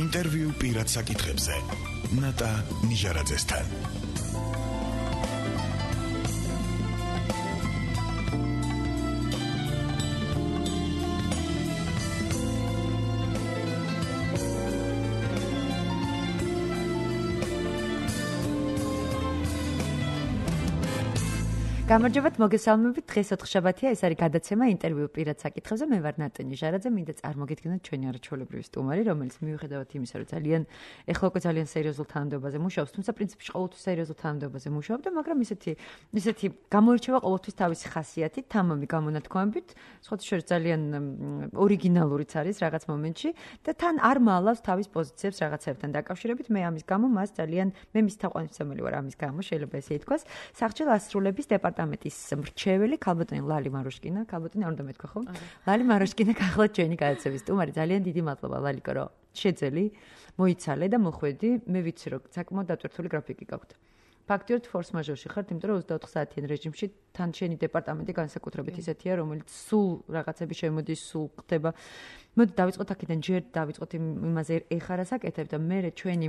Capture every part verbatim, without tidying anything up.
ინტერვიუ პირად საკითხებზე. ნატა ნიჟარაძესთან. გამარჯობათ, მოგესალმებით. დღეს ოთხშაბათია, ეს არის გადაცემა ინტერვიუ პირად საკითხებზე. მე ვარ ნატა ნიჟარაძე, მინდა წარმოგიდგინოთ ჩვენი არაჩვეულებრივი სტუმარი, რომელიც მიუხედავად იმისა, რომ ძალიან ეხლა უკვე ძალიან სერიოზულ თანამდებობაზე მუშაობს, თუმცა პრინციპში ყოველთვის სერიოზულ თანამდებობაზე მუშაობდა, მაგრამ ისეთი ისეთი გამოირჩევა ყოველთვის თავისი ხასიათით, თამამი გამონათქვამებით, სხვათა შორის ძალიან ორიგინალურიც არის რაღაც მომენტში და თან არ მალავს თავის პოზიციებს რაღაცებთან დაკავშირებით. მე ამის გამო მას ძალიან მე მის თაყვანისმცემელი ვარ ამის გამო, შეიძლება ესე ითქვას. სახჭელ ასრულების დეპარტამენტის მრჩეველი ქალბატონი ლალი მარუშკინა, ქალბატონი არ უნდა მეთქვა ხო? ლალი მარუშკინა გახლავთ ჩვენი გადაცემის სტუმარი. ძალიან დიდი მადლობა ლალიკო, რომ შეძელი, მოიცალე და მოხვედი. მე ვიცი, რომ საკმაოდ დატვირთული გრაფიკი გაქვთ. ფაქტიურად ფორს მაჟორში ხართ, იმიტომ რომ ოცდაოთხ საათიან რეჟიმში თან შენი დეპარტამენტი განსაკუთრებით ისეთია, რომელიც სულ რაღაცები შემოდის, სულ ხდება. მოდი დავიწყოთ აქედან, ჯერ დავიწყოთ იმაზე ეხარა საკეთებ და მე ჩვენი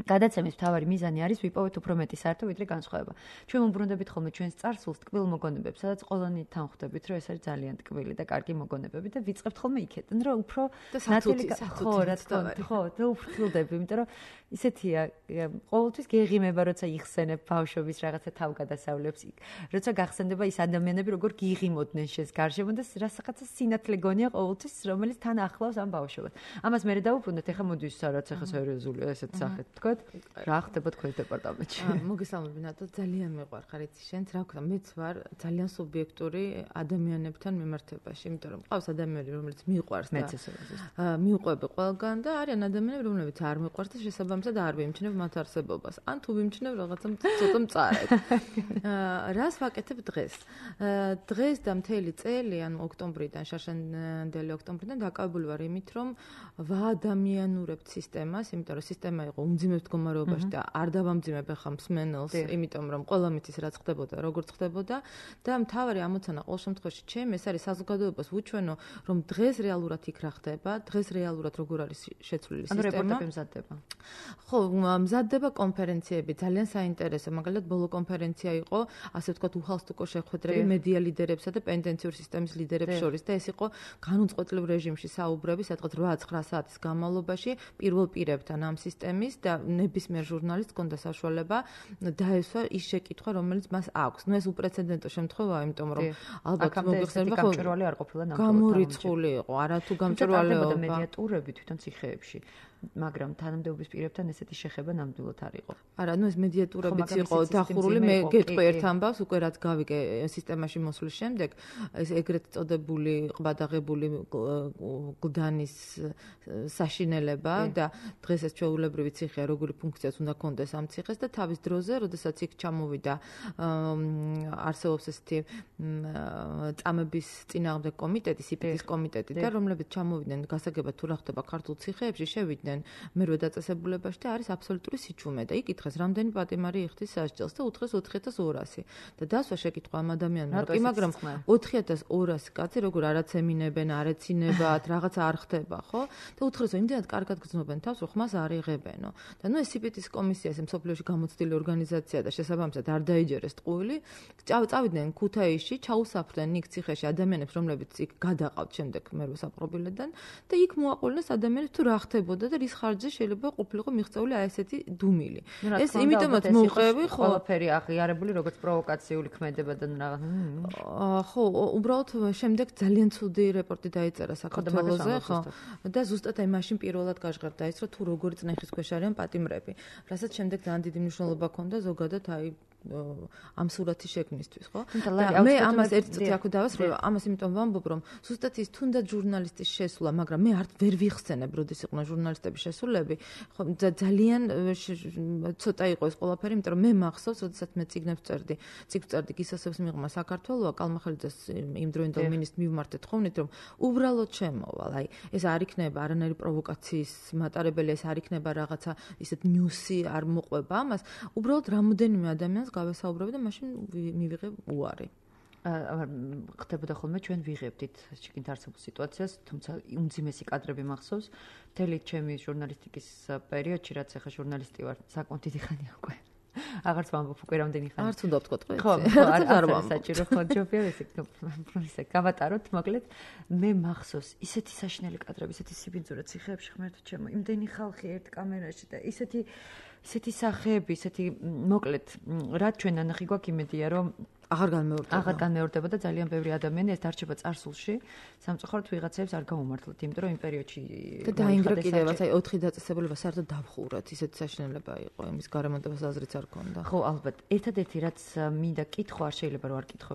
გადაცემის მთავარი მიზანი არის ვიპოვეთ უფრო მეტი საერთო ვიდრე განსხვავება. ჩვენ ვუბრუნდებით ხოლმე ჩვენს წარსულს ტკბილ მოგონებებს, სადაც ყველანი თანხვდებით, რომ ეს არის ძალიან ტკბილი და კარგი მოგონებები და ვიწყებთ ხოლმე იქედან, რომ უფრო ნათელი ხო, რა თქმა უნდა, ხო, და უფრთხილდები, იმიტომ რომ ისეთია, ყოველთვის გეღიმება, როცა იხსენებ ბავშვობის რაღაცა თავგადასავლებს, როცა გახსენდება ის ადამიანები, როგორ გიღიმოდნენ შენს გარშემო და რაღაცა სინათლე გონია ყოველთვის, რომელიც თან ახლავს ამ ბავშვობას. ამას მე დავუბრუნდეთ, ეხლა მოდი სადაც ეხლა სერიოზულია ესეთ სახეთ. რა ხდება თქვენ დეპარტამენტში? მოგესალმები ნატო, ძალიან მეყვარხარ იცი შენც, რა ვქნა, მეც ვარ ძალიან სუბიექტური ადამიანებთან მიმართებაში, იმიტომ რომ ყავს ადამიანები, რომელიც მიყვარს და მიყვები ყველგან და არიან ადამიანები, რომლებიც არ მიყვარს და შესაბამისად არ ვიმჩნევ მათ არსებობას. ან თუ ვიმჩნევ რაღაცა ცოტა მწარედ. რას ვაკეთებ დღეს? დღეს და მთელი წელი, ანუ ოქტომბრიდან, შარშანდელი ოქტომბრიდან დაკავებული ვარ იმით, რომ ვაადამიანურებთ სისტემას, იმიტომ რომ სისტემა იყო უმძიმეს მდგომარეობაში და არ დავამძიმებ ახლა მსმენელს, იმიტომ რომ ყველა მითის რაც ხდებოდა, როგორც ხდებოდა და მთავარი ამოცანა ყოველ შემთხვევაში ჩემ ეს არის საზოგადოებას ვუჩვენო, რომ დღეს რეალურად იქ რა ხდება, დღეს რეალურად როგორ არის შეცვლილი სისტემა. ანუ რეპორტები მზადდება. ხო, მზადდება კონფერენციები, ძალიან საინტერესო, მაგალითად ბოლო კონფერენცია იყო, ასე ვთქვათ, უხალხსტუკო შეხვედრები მედია ლიდერებსა და პენტენციური სისტემის ლიდერებს შორის და ეს იყო განუწყვეტლივ რეჟიმში საუბრები, სადღაც რვა ცხრა საათის განმავლობაში პირველ პირებთან ამ სისტემის და ნებისმიერ ჟურნალისტს ჰქონდა საშუალება დაესვა ის შეკითხვა, რომელიც მას აქვს. ნუ ეს უპრეცედენტო შემთხვევაა, იმიტომ რომ ალბათ მოგიხსენებათ, ხო, გამჭვირვალე არ ყოფილა ნამდვილად. გამორიცხული იყო, არათუ გამჭვირვალეობა. მედიატურები თვითონ ციხეებში. მაგრამ თანამდებობის პირებთან ესეთი შეხება ნამდვილად არ იყო. არა, ნუ ეს მედიატურებიც იყო დახურული, მე გეტყვი ერთ ამბავს, უკვე რაც გავიგე სისტემაში მოსვლის შემდეგ, ეს ეგრეთ წოდებული ყბადაღებული გლდანის საშინელება და დღეს ეს ჩვეულებრივი ციხეა, როგორი ფუნქციაც უნდა ქონდეს ამ ციხეს და თავის დროზე, როდესაც იქ ჩამოვიდა არსებობს ესეთი წამების წინააღმდეგ კომიტეტი, სიპიტის კომიტეტი და რომლებიც ჩამოვიდნენ გასაგებად თუ რა ხდება ქართულ ციხეებში, შევიდნენ მერვე დაწესებულებაში და არის აბსოლუტური სიჩუმე და იკითხეს რამდენი პატიმარი იხდის სასჯელს და უთხრეს ოთხი ათას ორასი და დასვა შეკითხვა ამ ადამიანმა კი მაგრამ ოთხი ათას ორასი კაცი როგორ არაც ემინებენ არ ეცინებათ რაღაცა არ ხდება ხო და უთხრეს რომ იმდენად კარგად გრძნობენ თავს რომ ხმას არ იღებენო და ნუ ეს სიპიტის კომისია ეს მსოფლიოში გამოცდილი ორგანიზაცია და შესაბამისად არ დაიჯერეს ტყუილი წავიდნენ ქუთაისში ჩაუსაფრდნენ იქ ციხეში ადამიანებს რომლებიც იქ გადაყავთ შემდეგ მერვე საპყრობილედან და იქ მოაყოლეს ადამიანებს თუ რა ხდებოდა და რის ხარჯზე შეიძლება ყოფილიყო მიღწეული აი ესეთი დუმილი. ეს იმიტომაც მოვყევი, ხო, ყველაფერი აღიარებული როგორც პროვოკაციული ქმედება და რაღაც. ხო, უბრალოდ შემდეგ ძალიან ცუდი რეპორტი დაიწერა საქართველოზე, ხო. და ზუსტად აი მაშინ პირველად გაჟღერდა ის, რომ თუ როგორი წნეხის ქვეშ არიან პატიმრები. რასაც შემდეგ ძალიან დიდი მნიშვნელობა ჰქონდა ზოგადად აი ამ სურათის შექმნისთვის, ხო? მე ამას ერთ წუთი აქ დავასრულე, ამას იმიტომ ვამბობ, რომ ზუსტად ის თუნდაც ჟურნალისტის შესვლა, მაგრამ მე არ ვერ ვიხსენებ, როდის იყვნენ ჟურნალისტების შესულები, ხო, ძალიან ცოტა იყო ეს ყველაფერი, იმიტომ რომ მე მახსოვს, როდესაც მე წიგნებს წერდი, წიგნს წერდი გისასებს მიღმა საქართველოა, კალმახელიძეს იმდროინდელ მინისტრს მივმართეთ ხოვნით, რომ უბრალოდ შემოვალ, აი, ეს არ იქნება არანაირი პროვოკაციის მატარებელი, ეს არ იქნება რაღაცა ისეთ ნიუსი არ მოყვება ამას, უბრალოდ რამოდენიმე ადამიანს გავესაუბრები და მაშინ მივიღე უარი. ხდებოდა ხოლმე ჩვენ ვიღებდით შეკინთ არსებულ სიტუაციას, თუმცა უმძიმესი კადრები მახსოვს. მთელი ჩემი ჟურნალისტიკის პერიოდში, რაც ახლა ჟურნალისტი ვარ, საკმაოდ დიდი ხანია უკვე. აღარც ვამბობ უკვე რამდენი ხანი. არც უნდა ვთქვა თქვენ. ხო, არ არ საჭირო ხო ჯობია ესე ისე გავატაროთ, მოკლედ მე მახსოვს ისეთი საშინელი კადრები, ისეთი სიბინძურე ციხეებში ღმერთო ჩემო, იმდენი ხალხი ერთ კამერაში და ისეთი ისეთი სახეები, ისეთი მოკლედ რაც ჩვენ ანახი გვაქვს იმედია რომ აღარ განმეორდება. აღარ განმეორდება და ძალიან ბევრი ადამიანი ეს დარჩება წარსულში. სამწუხაროდ ვიღაცებს არ გაუმართლოთ, იმიტომ რომ იმ პერიოდში და დაინგრა კიდევაც აი ოთხი დაწესებულება საერთოდ დავხურათ, ისეთი საშინელება იყო, იმის გარემონტებას აზრიც არ ქონდა. ხო, ალბათ. ერთადერთი რაც მინდა კითხო, არ შეიძლება რომ არ კითხო,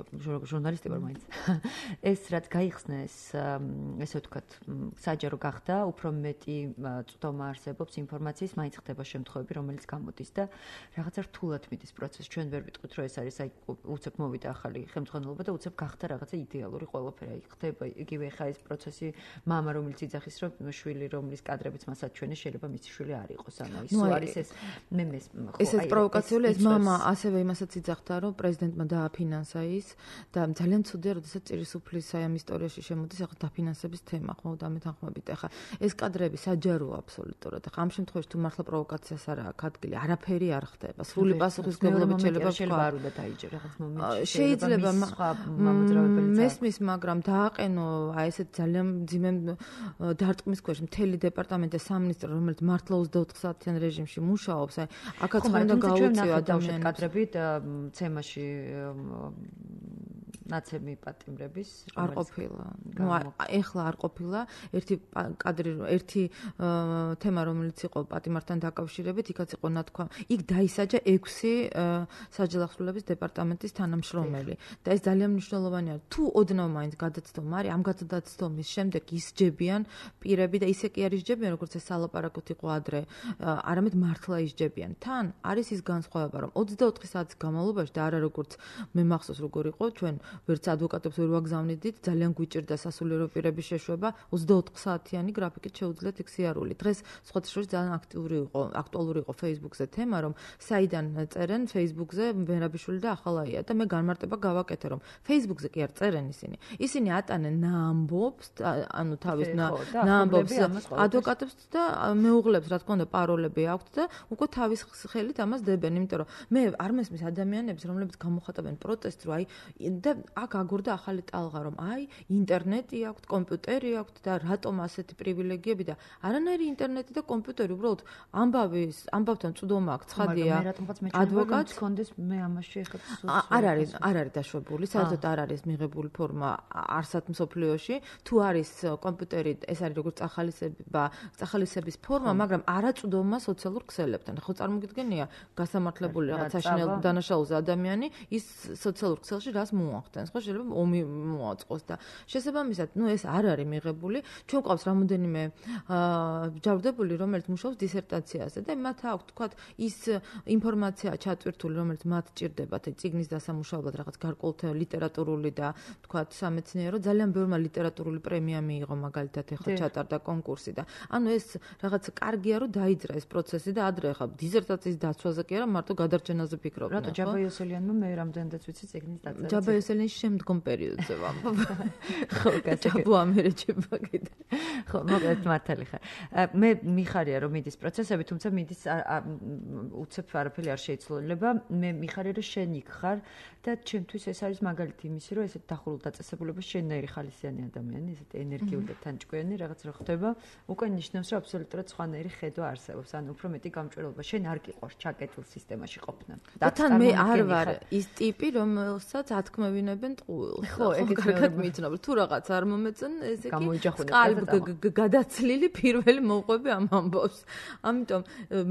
ჟურნალისტი ვარ მაინც. ეს რაც გაიხსნა ეს ესე ვთქვათ, საჯარო გახდა, უფრო მეტი წვდომა არსებობს ინფორმაციის, მაინც ხდება შემთხვევები, რომელიც გამოდის და რაღაცა რთულად მიდის პროცესი. ჩვენ ვერ ვიტყვით, რომ ეს არის აი უცებ მოვიდა ახალი ხელმძღვანელობა და უცებ გახდა რაღაცა იდეალური ყველაფერი. აი ხდება იგივე ხა ეს პროცესი მამა რომელიც იძახის რომ შვილი რომლის კადრებიც მასაც ჩვენი შეიძლება მისი შვილი არ იყოს. ანუ ის არის ეს მე მეს ხო ეს პროვოკაციული ეს მამა ასევე იმასაც იძახდა რომ პრეზიდენტმა დააფინანსა ის და ძალიან ცუდია როდესაც ჭირისუფლის აი ამ ისტორიაში შემოდის ახლა დაფინანსების თემა ხო და მეთანხმებით ახლა ეს კადრები საჯაროა აბსოლუტურად. ახლა ამ შემთხვევაში თუ მართლა პროვოკაციას არ აქვს ადგილი არაფერი არ ხდება. სრული პასუხისმგებლობით შეიძლება შეიძლება არ უნდა დაიჯერ რაღაც მომენტში. შეიძლება მესმის, მაგრამ დააყენო აი ესეთ ძალიან ძიმე დარტყმის ქვეშ მთელი დეპარტამენტი და სამინისტრო, რომელიც მართლა ოცდაოთხ საათიან რეჟიმში მუშაობს, აი აქაც უნდა გაუწიო ადამიანებს კადრები ცემაში ნაცემი პატიმრების არ ყოფილა. ნუ ეხლა არ ყოფილა. ერთი კადრი, ერთი თემა რომელიც იყო პატიმართან დაკავშირებით, იქაც იყო ნათქვა. იქ დაისაჯა ექვსი საჯელახსრულების დეპარტამენტის თანამშრომელი. და ეს ძალიან მნიშვნელოვანია. თუ ოდნავ მაინც გადაცდომა არის, ამ გადაცდომის შემდეგ ისჯებიან პირები და ისე კი არ ისჯებიან, როგორც ეს სალაპარაკოთ იყო ადრე, არამედ მართლა ისჯებიან. თან არის ის განსხვავება, რომ ოცდაოთხი საათის განმავლობაში და არა როგორც მე მახსოვს როგორ იყო, ჩვენ ვერც ადვოკატებს ვერ ვაგზავნიდით, ძალიან გვიჭირდა სასულიერო პირების შეშვება, ოცდაოთხ საათიანი გრაფიკით შეუძლიათ იქ სიარული. დღეს სხვათა შორის ძალიან აქტიური იყო, აქტუალური იყო Facebook-ზე თემა, რომ საიდან წერენ Facebook-ზე ვერაბიშვილი და ახალაია და მე განმარტება გავაკეთე, რომ Facebook-ზე კი არ წერენ ისინი. ისინი ატანენ ნაამბობს, ანუ თავის ნაამბობს ადვოკატებს და მეუღლებს, რა თქმა უნდა, პაროლები აქვთ და უკვე თავის ხელით ამას დებენ, იმიტომ რომ მე არ მესმის ადამიანებს, რომლებიც გამოხატავენ პროტესტს, რომ აი და აქ აგორდა ახალი ტალღა, რომ აი ინტერნეტი აქვთ, კომპიუტერი აქვთ და რატომ ასეთი პრივილეგიები და არანაირი ინტერნეტი და კომპიუტერი, უბრალოდ ამბავის, ამბავთან წვდომა აქ ცხადია. ადვოკატს კონდეს მე ამაში ეხება არ არის არ არის დაშვებული, საერთოდ არ არის მიღებული ფორმა არსად მსოფლიოში. თუ არის კომპიუტერი, ეს არის როგორც წახალისება, წახალისების ფორმა, მაგრამ არაწვდომა სოციალურ ქსელებთან. ხო წარმოგიდგენია, გასამართლებული რაღაც საშინელ დანაშაულზე ადამიანი ის სოციალურ ქსელში რას მოახდენს, ხო შეიძლება ომი მოაწყოს და შესაბამისად, ნუ ეს არ არის მიღებული. ჩვენ ყავს რამოდენიმე ჯავრდებული, რომელიც მუშაობს დისერტაციაზე და მათ აქვს თქვათ ის ინფორმაცია ჩატვირთული, რომელიც მათ ჭირდებათ წიგნის დასამუშავებლად რაღაც გარკვეული ლიტერატურული და თქვათ სამეცნიერო ძალიან ბევრმა ლიტერატურული პრემია მიიღო მაგალითად ეხლა ჩატარდა კონკურსი და ანუ ეს რაღაც კარგია რომ დაიძრა ეს პროცესი და ადრე ხა დისერტაციის დაცვაზე კი არა მარტო გადარჩენაზე ფიქრობდნენ. რატო ჯაბა იოსელიანმა მე რამდენადაც ვიცი წიგნის დაწერა. ჯაბა იოსელიანის შემდგომ პერიოდზე ვამბობ. ხო, ჯაბო ამერეჭება კიდე. ხო, მოკლედ მართალი ხარ. მე მიხარია რომ მიდის პროცესები, თუმცა მიდის უცებ არაფერი არ შეიცვლება. მე მიხარია რომ შენ იქ ხარ და ჩემთვის ეს არის მაგალითი იმისი, რომ ესეთ დახურულ დაწესებულებას შენნაირი ხალისიანი ადამიანი, ესეთ ენერგიული და თანჭკვიანი რაღაც რა ხდება, უკვე ნიშნავს, რომ აბსოლუტურად სხვანაირი ხედვა არსებობს, ანუ უფრო მეტი გამჭვირვალობა. შენ არ გიყვარს ჩაკეტილ სისტემაში ყოფნა. და თან მე არ ვარ ის ტიპი, რომელსაც ათქმევინებენ ტყუილს. ხო, ეგეც კარგად მიცნობ. თუ რაღაც არ მომეწონ, ესე კი გადაცლილი პირველი მოყვები ამ ამბავს. ამიტომ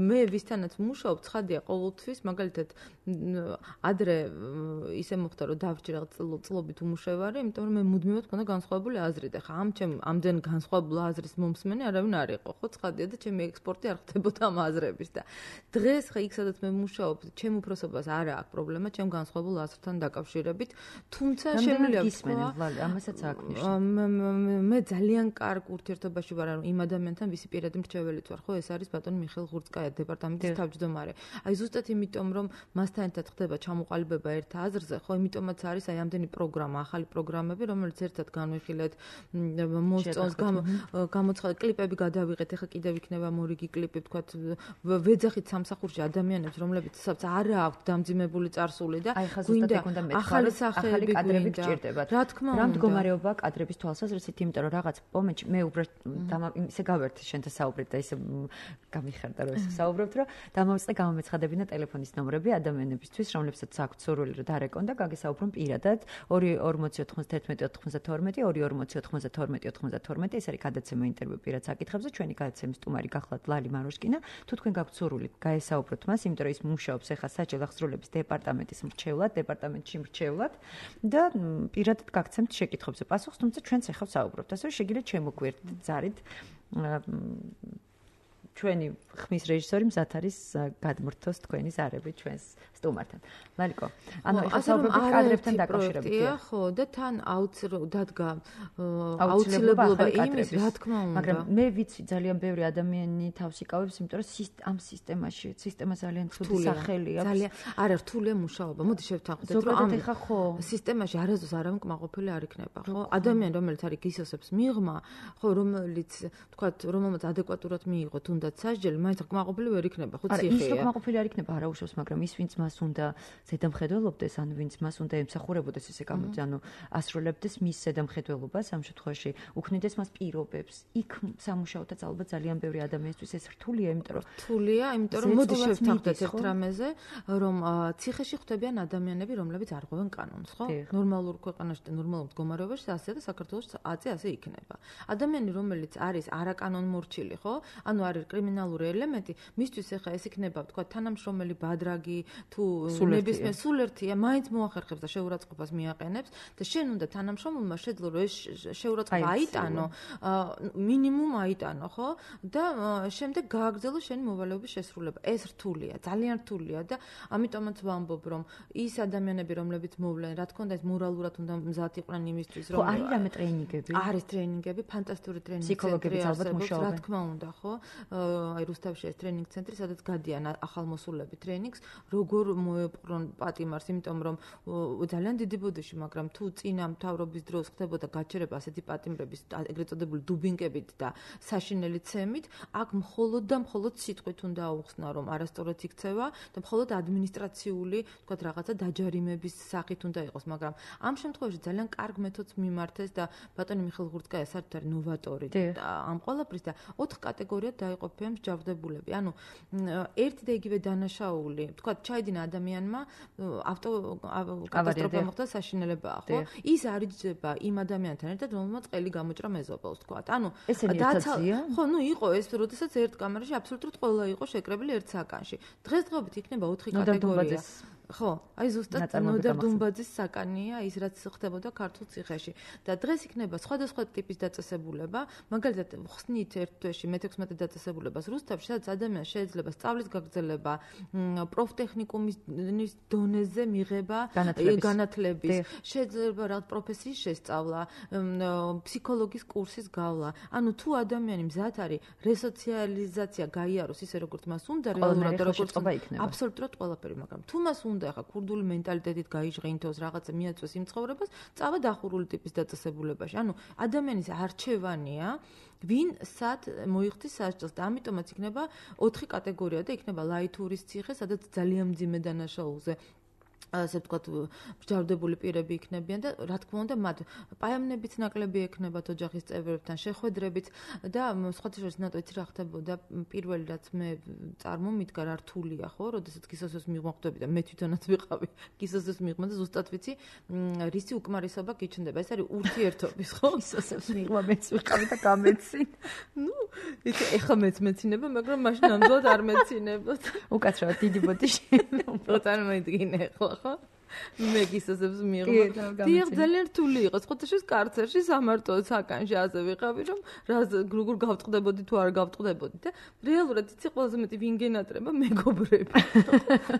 მე ვისთანაც მუშაობ, ცხადია ყოველთვის, მაგალითად ადრე ისე მოხდა რომ დავჭი რაღაც წლობით უმუშევარი, იმიტომ რომ მე მუდმივად მქონდა განსხვავებული აზრი და ხა ამ ჩემ ამდენ განსხვავებული აზრის მომსმენი არავინ არ იყო, ხო ცხადია და ჩემი ექსპორტი არ ხდებოდა ამ აზრების და დღეს ხა იქ სადაც მე მუშაობ, ჩემ უფროსობას არ აქვს პრობლემა ჩემ განსხვავებულ აზრთან დაკავშირებით, თუმცა შემიძლია ვთქვა, ამასაც აქვს ნიშნულობა. მე ძალიან კარგ ურთიერთობაში ვარ იმ ადამიანთან, ვისი პირადი მრჩეველიც ვარ, ხო, ეს არის ბატონი მიხეილ ღურწკაია, დეპარტამენტის თავმჯდომარე. აი ზუსტად იმიტომ, რომ მასთან ერთად ხდება ჩამოყალიბება ერთ აზრზე, ხო, იმიტომაც არის აი ამდენი პროგრამა, ახალი პროგრამები, რომელიც ერთად განვიხილეთ, მოსწონს, გამოცხადეთ, კლიპები გადავიღეთ, ეხლა კიდევ იქნება მორიგი კლიპი, თქვათ, ვეძახით სამსახურში ადამიანებს, რომლებიც არ აქვთ დამძიმებული წარსული და გვინდა ახალი ახალი კადრები გჭირდებათ. რა თქმა უნდა. რა მდგომარეობა კადრების თვალსაზრისით, იმიტომ რომ რაღაც მომენტში მე უბრალოდ ისე გავერთი შენთან საუბრით და ისე გამიხარდა რომ ისე საუბრობთ, რომ დამოვიწყე გამომეცხადებინა ტელეფონის ნომრები ადამიანებისთვის, რომლებსაც აქვთ სურვილი რომ დარეკონ და გაგესაუბრონ პირადად ორი ორმოცი ოთხმოცდაერთმეტი ოცდათორმეტი ორი ორმოცი ოთხმოცდათორმეტი ოცდათორმეტი ეს არის გადაცემა ინტერვიუ პირად საკითხებზე, ჩვენი გადაცემის სტუმარი გახლავთ ლალი მაროშკინა. თუ თქვენ გაქვთ სურვილი გაესაუბროთ მას, იმიტომ რომ ის მუშაობს ახლა საჯარო აღსრულების დეპარტამენტის მრჩევლად, დეპარტამენტში მრჩევლად და პირადად გაგცემთ შეკითხვებზე პასუხს, თუმცა ჩვენც ახლა საუბრობთ. ასე რომ შეგიძლიათ შემოგვიერთდეთ ზარით. ჩვენი ხმის რეჟისორი მზად არის გადმრთოს თქვენი ზარები ჩვენს სტუმართან. ლალიკო, ანუ ახლა საუბრობთ კადრებთან დაკავშირებით. ხო, და თან აუცილებლად დადგა აუცილებლობა იმის, რა თქმა უნდა. მაგრამ მე ვიცი ძალიან ბევრი ადამიანი თავს იკავებს, იმიტომ რომ ამ სისტემაში, სისტემა ძალიან ცუდი სახელი აქვს. ძალიან არა რთულია მუშაობა. მოდი შევთანხმდეთ, რომ ამ სისტემაში არასდროს არავინკმაყოფილი არ იქნება, ხო? ადამიანი, რომელიც არის გისოსებს მიღმა, ხო, რომელიც, თქვათ, რომელმაც ადეკვატურად მიიღო თუნდაც სასჯელი, მაინც კმაყოფილი ვერ იქნება, ხო, ციხეა. ის კმაყოფილი არ იქნება, არა უშავს, მაგრამ ის ვინც მას უნდა ზედამხედველობდეს, ან ვინც მას უნდა ემსახურებოდეს ესე გამოდი, ანუ ასრულებდეს მის ზედამხედველობას ამ შემთხვევაში, უქმნიდეს მას პირობებს. იქ სამუშაოთაც ალბათ ძალიან ბევრი ადამიანისთვის ეს რთულია, იმიტომ რომ რთულია, იმიტომ რომ მოდი შევთანხმდეთ ერთ რამეზე, რომ ციხეში ხვდებიან ადამიანები, რომლებიც არ ღვევენ კანონს, ხო? ნორმალურ ქვეყანაში და ნორმალურ მდგომარეობაში ასე და საქართველოს აწე ასე იქნება. ადამიანი, რომელიც არის არაკანონმორჩილი, ხო? ანუ არის კრიმინალური ელემენტი, მისთვის ახლა ეს იქნება, თქვა, თანამშრომელი ბადრაგი თუ ნებისმიერ სულ ერთია, მაინც მოახერხებს და შეურაცხყოფას მიაყენებს და შენ უნდა თანამშრომელმა შეძლო რომ ეს შეურაცხყოფა აიტანო, მინიმუმ აიტანო, ხო? და შემდეგ გააგრძელო შენი მოვალეობის შესრულება. ეს რთულია, ძალიან რთულია და ამიტომაც ვამბობ, რომ ის ადამიანები, რომლებიც მოვლენ, რა თქმა უნდა, ეს მორალურად უნდა მზად იყვნენ იმისთვის, რომ ხო, არის რამე ტრეინინგები? არის ტრეინინგები, ფანტასტიკური ტრეინინგები. ფსიქოლოგებიც ალბათ მუშაობენ. რა თქმა უნდა, ხო? აი რუსთავში ეს ტრეინინგ ცენტრი, სადაც გადიან ახალმოსულები ტრეინინგს, როგორ მოეპყრონ პატიმარს, იმიტომ რომ ძალიან დიდი ბოდიში, მაგრამ თუ წინა მთავრობის დროს ხდებოდა გაჩერება ასეთი პატიმრების, ეგრეთ წოდებული დუბინკებით და საშინელი ცემით, აქ მხოლოდ და მხოლოდ სიტყვით უნდა აუხსნა, რომ არასწორად იქცევა და მხოლოდ ადმინისტრაციული, თქვათ, რაღაცა დაჯარიმების სახით უნდა იყოს, მაგრამ ამ შემთხვევაში ძალიან კარგ მეთოდს მიმართეს და ბატონი მიხეილ ღურწკაია საერთოდ არის ნოვატორი ამ ყველაფრის და ოთხ კატეგორიად დაიყოფიან მსჯავრდებულები. ანუ ერთი და იგივე დანაშაული, თქვათ, ჩაიდინა ადამიანმა ავტო კატასტროფა მოხდა, საშინელებაა, ხო? ის არიჯდება იმ ადამიანთან ერთად, რომელმაც ყელი გამოჭრა მეზობელს, თქვათ. ანუ დაცალია? ხო, ნუ იყო ეს, როდესაც ერთ კამერაში აბსოლუტურად ყველა იყო შეკრებილი ერთ საკანში. დღესდღეობით იქნება ოთხი კატეგორია. ხო, აი ზუსტად ნოდარ დუმბაძის საკანია ის რაც ხდებოდა ქართულ ციხეში და დღეს იქნება სხვადასხვა ტიპის დაწესებულება, მაგალითად ხსნით ერთ თვეში მეთექვსმეტე დაწესებულებას რუსთავში, სადაც ადამიანს შეიძლება სწავლის გაგრძელება, პროფტექნიკუმის დონეზე მიღება განათლების, შეიძლება რაღაც პროფესიის შესწავლა, ფსიქოლოგის კურსის გავლა. ანუ თუ ადამიანი მზად არის რესოციალიზაცია გაიაროს ისე როგორც მას უნდა რეალურად როგორც აბსოლუტურად ყველაფერი, მაგრამ თუ მას უნდა ახლა ქურდული მენტალიტეტით გაიჟღინთოს, რაღაცა მიაწვეს იმ ცხოვრებას, წავა დახურული ტიპის დაწესებულებაში. ანუ ადამიანის არჩევანია, ვინ სად მოიხდის სასჯელს და ამიტომაც იქნება ოთხი კატეგორია და იქნება ლაითურის ციხე, სადაც ძალიან მძიმე დანაშაულზე ასე ვთქვათ, მსჯავრდებული პირები იქნებიან და რა თქმა უნდა, მათ პაემნებიც ნაკლები ექნებათ ოჯახის წევრებთან, შეხვედრებით და სხვათა შორის ნატო იცი რა ხდებოდა, პირველი რაც მე წარმომიდგა რა რთულია, ხო, როდესაც გისოსოს მიღმა ხდები და მე თვითონაც ვიყავი გისოსოს მიღმა და ზუსტად ვიცი, რისი უკმარისობა გიჩნდება. ეს არის ურთიერთობის, ხო? გისოსოს მიღმა მეც ვიყავი და გამეცინ. ნუ, იცი ეხა მეც მეცინება, მაგრამ მაშინ ნამდვილად არ მეცინებოდ. უკაცრავად დიდი ბოდიში. უბრალოდ არ მოიდგინე ხო? მეგისოსებს მიიღო. დიახ, ძალიან რთული იყო. ხოთაშეს კარცერში სამარტო საკანში ასე ვიყავი, რომ რა როგორ გავწყდებოდი თუ არ გავწყდებოდი და რეალურად იცი ყველაზე მეტი ვინ გენატრება მეგობრები.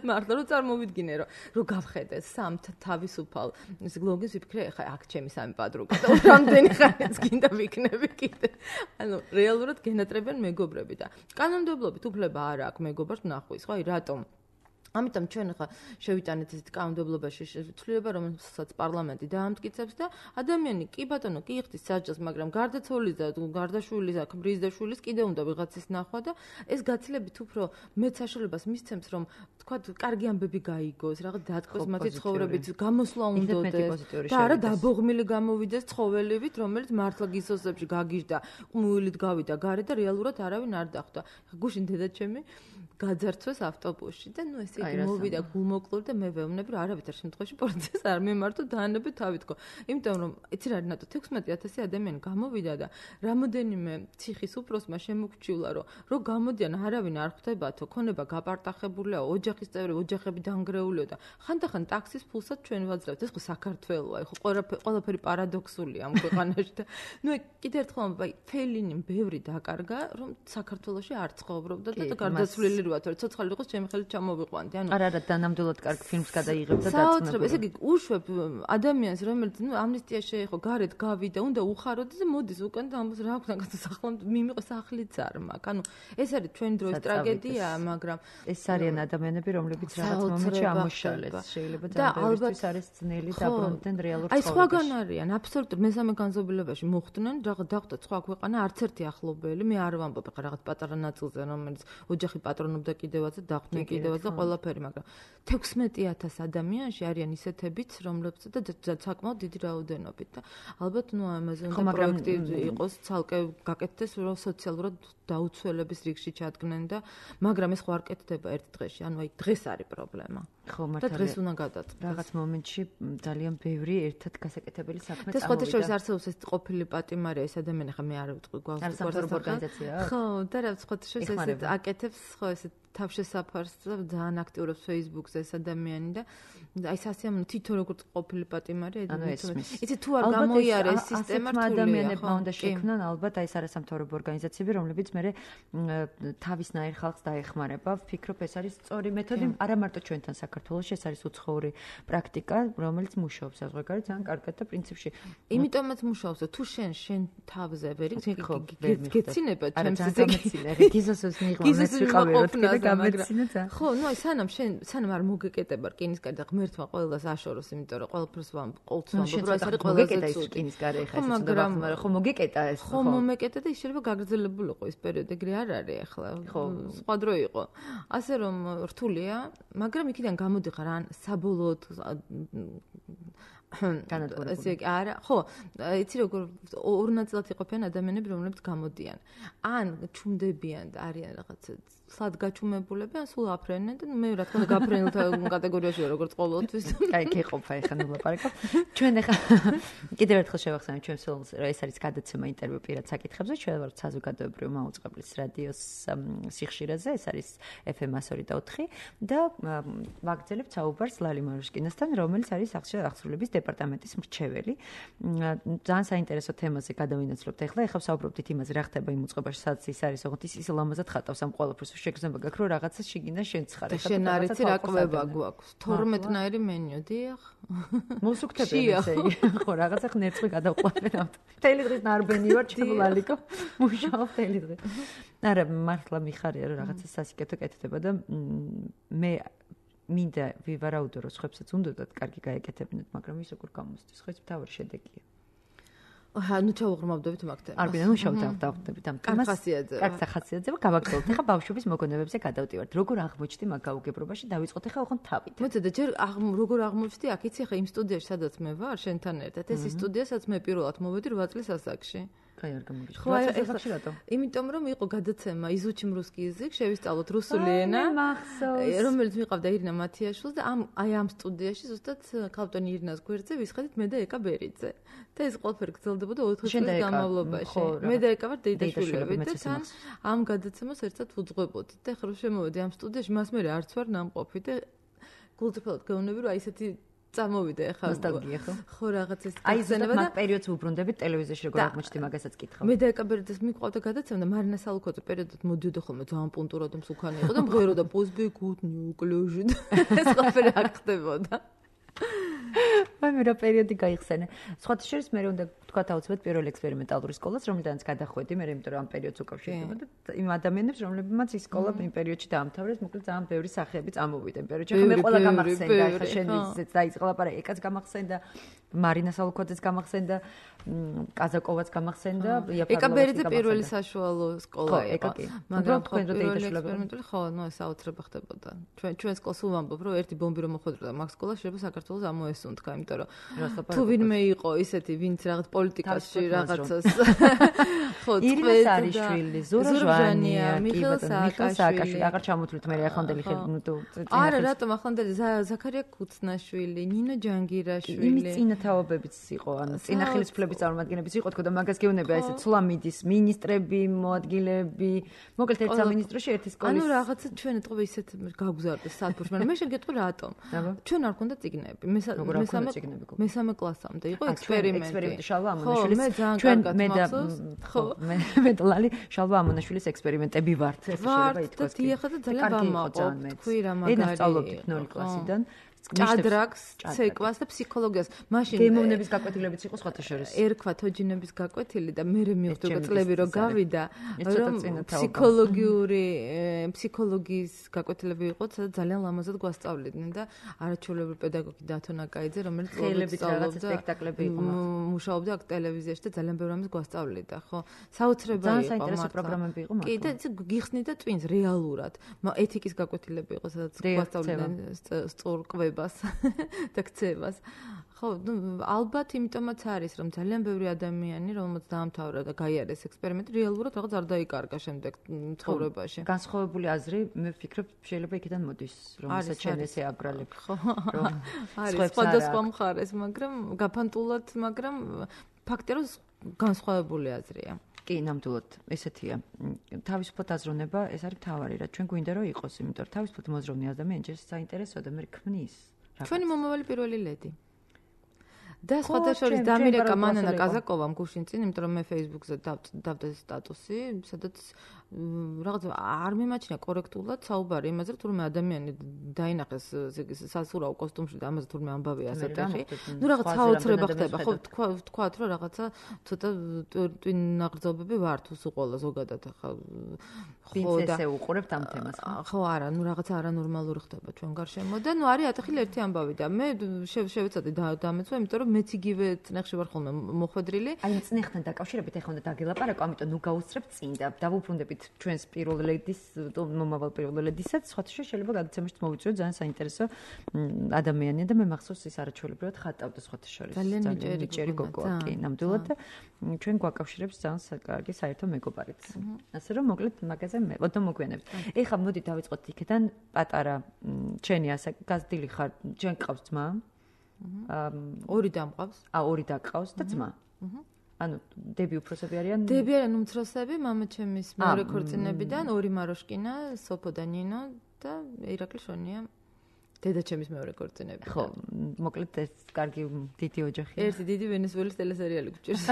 მართლა რომ წარმოვიდგინე რომ რო გავხედე სამ თავისუფალ ეს გლოგის ვიფიქრე ხა აქ ჩემი სამი პადრუკა და რამდენი ხანიც გინდა ვიქნები კიდე. ანუ რეალურად გენატრებენ მეგობრები და კანონმდებლობით უფლება არ აქვს მეგობარს ნახვის, ხო? აი რატომ? ამიტომ ჩვენ ხა შევიტანეთ ეს კანონმდებლობაში ცვლილება, რომელსაც პარლამენტი დაამტკიცებს და ადამიანი კი ბატონო კი იხდის საჯელს, მაგრამ გარდაცვალის და გარდაშვილის, ქმრის და შვილის კიდე უნდა ვიღაცის ნახვა და ეს გაცილებით უფრო მეც საშუალებას მისცემს, რომ თქვა კარგი ამბები გაიგოს, რაღაც დათქვეს მათი ცხოვრებით, გამოსვლა უნდოდეს და არა დაბოღმილი გამოვიდეს ცხოველივით, რომელიც მართლა გისოსებში გაგიჟდა, ყმუილით გავიდა გარე და რეალურად არავინ არ დახვდა. გუშინ დედაჩემი გაძარცვეს ავტობუსში და ნუ ესე მოვიდა გულმოკლული და მე ვეუბნები რომ არავითარ შემთხვევაში პოლიციას არ მემართო დაანებე თავი თქო. იმიტომ რომ იცი რა რინატო თექვსმეტი ათასი ადამიანი გამოვიდა და რამოდენიმე ციხის უფროსმა შემოგჩივლა რომ რო გამოდიან არავინ არ ხვდებათო, ქონება გაპარტახებულია, ოჯახის წევრი ოჯახები დანგრეულიო და ხანდახან ტაქსის ფულსაც ჩვენ ვაძლევთ. ეს ხო საქართველოა, ხო ყველაფერი პარადოქსულია ამ ქვეყანაში და ნუ კიდე ერთხელ აი ფელინიმ ბევრი დაკარგა რომ საქართველოში არ ცხოვრობდა და გარდაცვლილი როათ რომ ცოცხალი იყოს ჩემი ხელით ჩამოვიყვანდი. ანუ არა არა დანამდვილად კარგ ფილმს გადაიღებ და დაწნებული. ესე იგი უშვებ ადამიანს რომელიც ნუ ამნისტია შეეხო გარეთ გავიდა, უნდა უხაროდეს და მოდის უკან და ამბობს რა აქვს განსახლა მიმიყო სახლიც არ მაქვს. ანუ ეს არის ჩვენი დროის ტრაგედია, მაგრამ ეს არიან ადამიანები რომლებიც რაღაც მომენტში ამოშალეს. შეიძლება და ალბათ არის ძნელი დაბრუნდნენ რეალურ ცხოვრებაში. აი სხვაგან არიან აბსოლუტურად მესამე განზომილებაში მოხვდნენ რაღაც დახვდა სხვა ქვეყანა არც ერთი ახლობელი. მე არ ვამბობ ხა რაღაც პატარა ნაწილზე რომელიც ოჯახი პატრონობდა კიდევაც და დახვდნენ კიდევაც და ყველაფერი, მაგრამ თექვსმეტი ათას ადამიანში არიან ისეთებიც, რომლებსაც და საკმაოდ დიდი რაოდენობით და ალბათ ნუ ამაზე უნდა პროექტი იყოს ცალკე გაკეთდეს, რომ სოციალურად დაუცველების რიგში ჩადგნენ და მაგრამ ეს ხო არ კეთდება ერთ დღეში, ანუ აი დღეს არის პრობლემა. ხო, მართალია. და დღეს უნდა გადაწყდეს. რაღაც მომენტში ძალიან ბევრი ერთად გასაკეთებელი საქმე წამოვიდა. და სხვათა შორის არსებობს ეს ყოფილი პატიმარია, ეს ადამიანი ხა მე არ ვიტყვი გვაქვს ორგანიზაცია. ხო, და რა სხვათა შორის ეს აკეთებს, ხო ეს თავშესაფარს და ძალიან აქტიურობს Facebook-ზე ეს ადამიანი და აი სასიამოვნო თითო როგორც ყოფილი პატიმარი იცი თუ არ გამოიარეს სისტემა რთულია. ადამიანებმა უნდა შექმნან ალბათ აი ეს არასამთავრობო ორგანიზაციები, რომლებიც მე თავისნაირ ხალხს დაეხმარება. ვფიქრობ ეს არის სწორი მეთოდი, არა მარტო ჩვენთან საქართველოში, ეს არის უცხოური პრაქტიკა, რომელიც მუშაობს საზღვარგარეთ ძალიან კარგად და პრინციპში იმიტომაც მუშაობს, თუ შენ შენ თავზე ვერ გეცინება ჩემს ზეგეცინე რეგიზოსოს მიიღოს ვიყავი როთქე გამეცინა და ხო, ნუ აი სანამ შენ სანამ არ მოგეკეტება რკინისკარი და ღმერთმა ყველას აშოროს, იმიტომ რომ ყველაფერს ვამ ყოველთვის ვამბობ, რომ ეს არის ყველაზე ცუდი რკინისკარი ეხა ეს მაგრამ ხო მოგეკეტა ეს ხო მომეკეტა და ის შეიძლება გაგრძელებულიყო ის პერიოდი, ეგრე არ არის ახლა. ხო, სხვა დრო იყო. ასე რომ რთულია, მაგრამ იქიდან გამოდიხარ ან საბოლოოდ განადგურებული. ესე არა, ხო, იცი როგორ ორ ნაწილად იყოფიან ადამიანები, რომლებიც გამოდიან. ან ჩუმდებიან და არიან რაღაც სად გაჩუმებულები, ან სულ აფრენენ და მე რა თქმა უნდა გაფრენილთა კატეგორიაშია როგორც ყოველთვის. კაი, გიყოფა ეხა ნუ ლაპარაკობ. ჩვენ ეხა კიდევ ერთხელ შევახსენებ ჩვენ სულს, რომ ეს არის გადაცემა ინტერვიუ პირად საკითხებზე, ჩვენ ვართ საზოგადოებრივი მაუწყებლის რადიოს სიხშირეზე, ეს არის ეფ ემ one oh four და ვაგრძელებთ საუბარს ლალი მარუშკინასთან, რომელიც არის აღსრულების დეპარტამენტის მრჩეველი. ძალიან საინტერესო თემაზე გადავინაცვლებთ ახლა. ეხლა ვსაუბრობთ იმაზე, რა ხდება იმ უწყებაში, სადაც ის არის, ოღონდ ის ის ლამაზად ხატავს ამ ყველაფერს. შეგრძნება გაქვს, რომ რაღაცას შეგინდა შენც ხარ. ეხლა შენ არ იცი რა კვება გვაქვს. თორმეტნაირი მენიუ, დიახ. მოსუქთებენ ესე იგი. ხო, რაღაცა ხნერწყვი გადავყვარენ ავტო. მთელი დღის ნარბენი ვარ, ჩემლალიკო. მუშაობ მთელი დღე. არა, მართლა მიხარია, რომ რაღაცა სასიკეთო კეთდება და მე მინდა ვივარაუდო, რომ სხვებსაც უნდათ კარგი გაეკეთებინათ, მაგრამ ის როგორ გამოსდის, ხო ეს მთავარი შედეგია. აჰა, ნუ ჩავღრმავდებით მაგთან. არ გინდა, ნუ შევდავდებით ამ თემას. ხასიათზე. კარგ სახასიათზე გავაგრძელოთ. ეხლა ბავშვობის მოგონებებზე გადავდივართ. როგორ აღმოჩნდი მაგ გაუგებრობაში? დავიწყოთ ეხლა ოღონდ თავით. მოდი და ჯერ როგორ აღმოჩნდი აქ იცი ეხლა იმ სტუდიაში, სადაც მე ვარ, შენთან ერთად. ეს სტუდია, სადაც მე პირველად მოვედი რვა წლის ასაკში. კაი არ გამიგიჩნდა. ხო, ახლა რატო? იმიტომ რომ იყო გადაცემა იზუჩიმ რუსკი язык, შევისწავლოთ რუსული ენა. რომელიც მიყავდა ირინა მათიაშვილს და ამ აი ამ სტუდიაში ზუსტად ქალბატონი ირინას გვერდზე ვისხედით მე და ეკა ბერიძე. და ეს ყველაფერი გრძელდებოდა ოთხ წლის განმავლობაში. მე და ეკა ვარ დეიდაშვილები და თან ამ გადაცემას ერთად ვუძღვებოდით. და ხრო შემოვედი ამ სტუდიაში, მას მე არც ვარ ნამყოფი და გულწრფელად გეუბნები რომ აი ესეთი წამოვიდა ეხლა ნოსტალგია ხო? ხო რაღაც ეს აი ზუსტად მაგ პერიოდს ვუბრუნდებით ტელევიზიაში როგორ აღმოჩნდი მაგასაც კითხავ. მე და ეკაბერდეს მიყვავდა გადაცემა და მარინა სალუქოძე პერიოდად მოდიოდა ხოლმე ძალიან პუნტურად მსუქანი იყო და მღეროდა პოზბი გუდ ნიუკლეჟი ეს ყველაფერი აქ ხდებოდა. მე რა პერიოდი გაიხსენე. სხვათა შორის მე უნდა ვთქვათ აუცილებლად პირველ ექსპერიმენტალური სკოლას, რომელთანაც გადახვედი, მე იმიტომ რომ ამ პერიოდს უკავშირდება და იმ ადამიანებს, რომლებმაც ის სკოლა იმ პერიოდში დაამთავრეს, მოკლედ ძალიან ბევრი სახეები წამოვიდა იმ პერიოდში. ხა მე ყველა გამახსენდა, ხა შენ ისეც დაიწყლა პარა, ეკაც გამახსენდა, მარინა სალუქოძეც გამახსენდა, კაზაკოვაც გამახსენდა, ეკაბერიძე პირველი საშუალო სკოლა იყო. მაგრამ თქვენ რო დაიწყებოდი, ხო, ნუ ეს აუცილებლად ხდებოდა. ჩვენ ჩვენ სკოლას ვამბობ, რომ ერთი ბომბი რომ მოხვედრდა მაგ სკოლას, შეიძლება საქართველოს ამოესუნთქა, იმიტომ რომ თუ ვინმე იყო ისეთი, ვინც რაღაც პოლიტიკაში რაღაცას ხო ირინას არიშვილი, ზურა ჟვანია, მიხეილ სააკაშვილი, აღარ ჩამოთვლით მე ახლანდელი ხელნუტო. არა, რატომ ახლანდელი ზაქარია ქუცნაშვილი, ნინო ჯანგირაშვილი. იმის წინათაობებიც იყო, ანუ წინა ხელისუფლების წარმომადგენლებიც იყო, თქო და მაგას გეუბნება ესე ცვლამიდის მინისტრები, მოადგილეები, მოკლედ ერთ სამინისტროში ერთი სკოლის. ანუ რაღაცა ჩვენ ეთყობა ისეთ გაგვზარდა სათბურში, მაგრამ მე შეგეტყვი რატომ? ჩვენ არ გქონდა წიგნები. მესამე მესამე კლასამდე იყო ექსპერიმენტი. ექსპერიმენტი შალვა ამონაშვილის ჩვენ მე და ხო მე მე და ლალი შალვა ამონაშვილის ექსპერიმენტები ვართ ეს შეიძლება ითქვას. და დიახა და ძალიან ვამაყობ. თქვი რა მაგარი. ენას სწავლობდით ნული კლასიდან. ჭადრაკს, ცეკვას და ფსიქოლოგიას. მაშინ გემოვნების გაკვეთილებიც იყო სხვათა შორის. ერქვა თოჯინების გაკვეთილი და მე მივხვდი უკვე წლები რო გავიდა, რომ ფსიქოლოგიური ფსიქოლოგიის გაკვეთილები იყო, სადაც ძალიან ლამაზად გვასწავლიდნენ და არაჩვეულებრივი პედაგოგი დათო ნაკაიძე, რომელიც ხელებით რაღაც სპექტაკლები იყო მათ. მუშაობდა აქ ტელევიზიაში და ძალიან ბევრ ამას გვასწავლიდა, ხო? საოცრება იყო. ძალიან საინტერესო პროგრამები იყო მათ. კი და გიხსნი და twins რეალურად. ეთიკის გაკვეთილები იყო, სადაც გვასწავლიდნენ სწორკვებას და ქცევას. ხო, ნუ ალბათ იმიტომაც არის, რომ ძალიან ბევრი ადამიანი, რომელმაც დაამთავრა და გაიარეს ექსპერიმენტი, რეალურად რაღაც არ დაიკარგა შემდეგ ცხოვრებაში. განსხვავებული აზრი, მე ვფიქრობ, შეიძლება იქიდან მოდის, რომელსაც შენ ესე აბრალებ. ხო. არის სხვადასხვა მხარეს, მაგრამ გაფანტულად, მაგრამ ფაქტია, რომ განსხვავებული აზრია. კი, ნამდვილად, ესეთია. თავისუფლად აზროვნება, ეს არის მთავარი რა. ჩვენ გვინდა რომ იყოს, იმიტომ რომ თავისუფლად მოზროვნე ადამიანი ჯერ საინტერესოა და მე ქმნის. ჩვენი მომავალი პირველი ლედი. და სხვათა შორის დამირეკა მანანა კაზაკოვამ გუშინ წინ, იმიტომ რომ მე Facebook-ზე დავდა სტატუსი, სადაც რაღაც არ მიმაჩნია კორექტულად საუბარი იმაზე, რომ თურმე ადამიანი დაინახეს სასურაო კოსტუმში და ამაზე თურმე ამბავია ასეთახი. ნუ რაღაც საოცრება ხდება, ხო, თქვა თქვათ რომ რაღაცა ცოტა ტვინაღრძობები ვართ უყოლა ზოგადად ახლა. ხო და ესე უყურებთ ამ თემას. ხო, არა, ნუ რაღაცა არანორმალური ხდება ჩვენ გარშემო და ნუ არის ათახილი ერთი ამბავი და მე შევეცადე დამეცვა, იმიტომ რომ მეც იგივე წნეხში ვარ ხოლმე მოხვედრილი. აი წნეხთან დაკავშირებით ეხლა უნდა დაგელაპარაკო, ამიტომ ნუ გავუსწრებთ წინ და დავუბრუნდებით ჩვენს პირველ ლედის მომავალ პირველ ლედისაც, სხვათა შორის შეიძლება გადაცემაში მოვიწვიოთ ძალიან საინტერესო ადამიანია და მე მახსოვს ის არაჩვეულებრივად ხატავდა სხვათა შორის. ძალიან მიჭერი გოგოა, კი, ნამდვილად და ჩვენ გვაკავშირებს ძალიან კარგი საერთო მეგობარიც. ასე რომ მოკლედ მაგაზე მე ოდო მოგვიანებით. ეხლა მოდი დავიწყოთ იქიდან პატარა ჩენი ასე გაზრდილი ხარ, ჩვენ გყავს ძმა? ორი დამყავს. ა ორი დაგყავს და ძმა. ანუ დები უფროსები არიან? დები არიან უმცროსები, მამა ჩემის მეორე ქორწინებიდან, ორი მაროშკინა, სოფო და ნინო და ირაკლი შონია. დედა ჩემის მეორე ქორწინებიდან. ხო, მოკლედ ეს კარგი დიდი ოჯახია. ერთი დიდი ვენესუელის ტელესერიალი გვჭირს.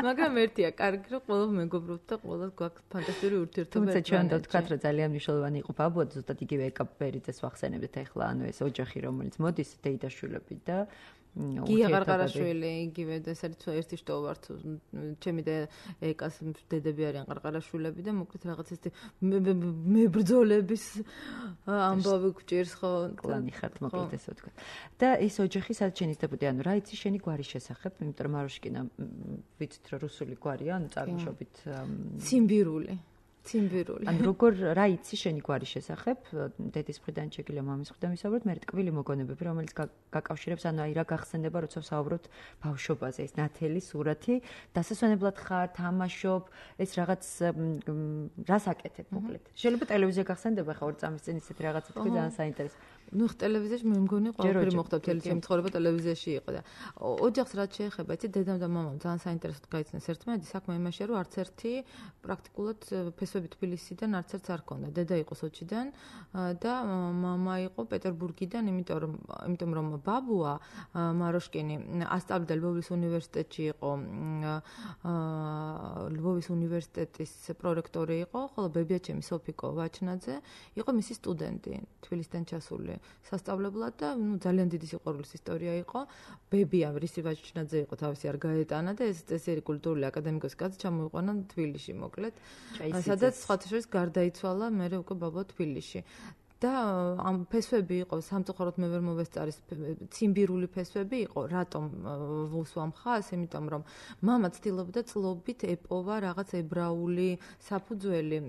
მაგრამ ერთია, კარგი რომ ყველა მეგობრობთ და ყველა გვაქვს ფანტასტიკური ურთიერთობა. თუმცა ჩვენ და ვთქვათ, რომ ძალიან მნიშვნელოვანი იყო ბაბუა, ზუსტად იგივე ეკაბერიძეს ვახსენებთ ახლა, ანუ ეს ოჯახი, რომელიც მოდის დეიდაშვილები და გია ყარყარაშვილი, იგივე და ეს არის ერთი შტო ვართ, ჩემი და ეკას დედები არიან ყარყარაშვილები და მოკლედ რაღაც ეს მებრძოლების ამბავი გვჭირს ხო? კლანი ხართ მოკლედ ესე ვთქვათ. და ეს ოჯახი სადაც შენ ისდებოდი, ანუ რა იცი შენი გვარის შესახებ, იმიტომ რომ მაროშკინა ვიცით რომ რუსული გვარია, ანუ წარმოშობით ციმბირული. ციმბირული. ან როგორ რა იცი შენი გვარის შესახებ, დედის მხრიდან შეგიძლია მამის მხრიდან ვისაუბროთ, მე ტკბილი მოგონებები, რომელიც გაკავშირებს, ანუ აი რა გახსენდება, როცა ვსაუბრობთ ბავშვობაზე, ეს ნათელი სურათი, დასასვენებლად ხარ, თამაშობ, ეს რაღაც რას აკეთებ, მოკლედ. შეიძლება ტელევიზია გახსენდება, ხა ორი წამის წინ ისეთი რაღაცა თქვი ძალიან საინტერესო. ნუ ტელევიზიაში მე მგონი ყველაფერი მოხდა მთელი ჩემი ცხოვრება ტელევიზიაში იყო და ოჯახს რაც შეეხება იცი დედამ და მამამ ძალიან საინტერესოდ გაიცნეს ერთმანეთი საქმე იმაშია რომ არც ერთი პრაქტიკულად ფესვები თბილისიდან არც ერთს არ ქონდა დედა იყო სოჩიდან და მამა იყო პეტერბურგიდან იმიტომ რომ იმიტომ რომ ბაბუა მაროშკინი ასწავლიდა ლვოვის უნივერსიტეტში იყო ლვოვის უნივერსიტეტის პრორექტორი იყო ხოლო ბებიაჩემი სოფიკო ვაჩნაძე იყო მისი სტუდენტი თბილისიდან ჩასული სასწავლებლად და ნუ ძალიან დიდი სიყვარულის ისტორია იყო. ბებია რისი ვაჩნაძე იყო თავისი არ გაეტანა და ეს წესიერი კულტურული აკადემიკოსი კაცი ჩამოიყვანა თბილისში მოკლედ. სადაც სხვათა შორის გარდაიცვალა მერე უკვე ბაბა თბილისში. და ამ ფესვები იყო სამწუხაროდ მე ვერ მოვესწარის ციმბირული ფესვები იყო რატომ ვუსვამ ხას იმიტომ რომ მამა ცდილობდა წლობით ეპოვა რაღაც ებრაული საფუძველი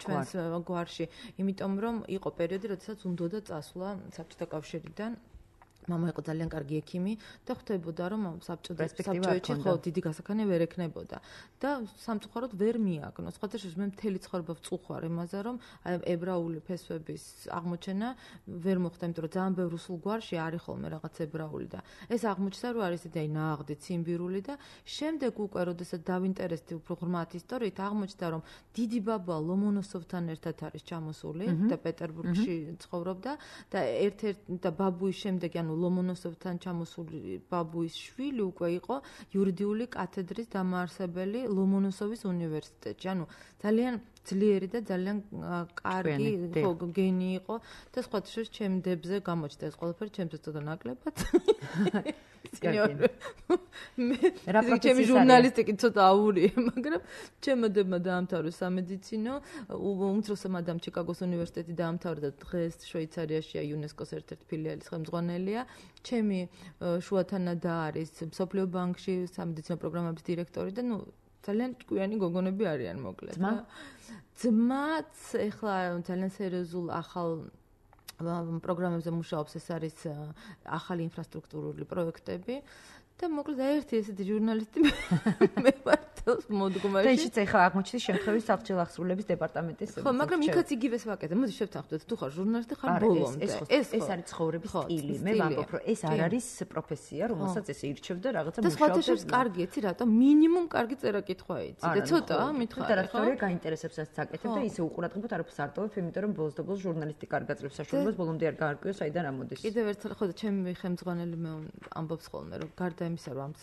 ჩვენს გვარში იმიტომ რომ იყო პერიოდი როდესაც უნდოდა წასვლა საბჭოთა კავშირიდან მამა იყო ძალიან კარგი ექიმი და ხვდებოდა რომ საბჭოებში ხო დიდი გასახანი ვერ ექნებოდა და სამწუხაროდ ვერ მიაგნო. სხვათა შორის მე მთელი ცხოვრება ვწუხარ იმაზე რომ ებრაული ფესვების აღმოჩენა ვერ მოხდა, იმიტომ რომ ძალიან ბევრ რუსულ გვარში არის ხოლმე რაღაც ებრაული და ეს აღმოჩნდა რომ არის ისეთი ნაღდი ციმბირული და შემდეგ უკვე როდესაც დავინტერესდი უფრო ღრმად ისტორიით აღმოჩნდა რომ დიდი ბაბა ლომონოსოვთან ერთად არის ჩამოსული და პეტერბურგში ცხოვრობდა და ერთ-ერთ და ბაბუის შემდეგ ანუ ლომონოსოვთან ჩამოსული ბაბუის შვილი უკვე იყო იურიდიული კათედრის დამაარსებელი ლომონოსოვის უნივერსიტეტში. ანუ ძალიან ძლიერი და ძალიან კარგი გენი იყო და სხვათა შორის ჩემ დებზე გამოჩნდა ეს ყველაფერი ჩემთვის ცოტა ნაკლებად. მე ჩემი ჟურნალისტიკი ცოტა აურია, მაგრამ ჩემო დებმა დაამთავრა სამედიცინო, უმცროსმა ადამ ჩიკაგოს უნივერსიტეტი დაამთავრა და დღეს შვეიცარიაშია იუნესკოს ერთ-ერთი ფილიალის ხელმძღვანელია. ჩემი შუათანა და არის მსოფლიო ბანკში სამედიცინო პროგრამების დირექტორი და ნუ ძალიან ჭკვიანი გოგონები არიან მოკლედ. ძმაც ეხლა ძალიან სერიოზულ ახალ პროგრამებზე მუშაობს, ეს არის ახალი ინფრასტრუქტურული პროექტები და მოკლედ ერთი ესეთი ჟურნალისტი მე ვარ მოდგმაში. და ისიც ეხლა აღმოჩნდა შემთხვევის საბჭოთა აღსრულების დეპარტამენტის. ხო, მაგრამ იქაც იგივეს ვაკეთებ. მოდი შევთანხმდეთ, თუ ხარ ჟურნალისტი, ხარ ბოლომდე. ეს ეს არის ცხოვრების სტილი. მე ვამბობ, რომ ეს არ არის პროფესია, რომელსაც ესე ირჩევ და რაღაცა მუშაობ. და სხვათა შორის კარგი, იცი რატომ? მინიმუმ კარგი წერა-კითხვა იცი და ცოტა მითხარ. და რასწორია გაინტერესებს რაც აკეთებ და ისე უყურადღებოდ არ ვსარტოვებ, იმიტომ რომ ბოლოს და ბოლოს ჟურნალისტი კარგ აძლევს საშუალებას, ბოლომდე არ გაარკვიო საიდან ამოდის. კიდევ ერთხელ ხო და ჩემი ხელმძღვანელი მე ამბობს ხოლმე, რომ გარდა იმისა, რომ ამ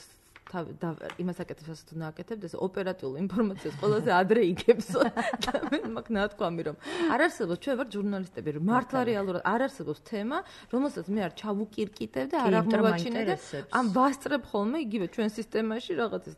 და იმას აკეთებს ასე თუ ნაკეთებ და ეს ოპერატიულ ინფორმაციას ყველაზე ადრე იგებსო და მე მაგ ნათქვამი რომ არ არსებობს ჩვენ ვარ ჟურნალისტები რომ მართლა რეალურად არ არსებობს თემა რომელსაც მე არ ჩავუკირკიტებ და არ აღმოვაჩინე და ამ ვასწრებ ხოლმე იგივე ჩვენ სისტემაში რაღაც ეს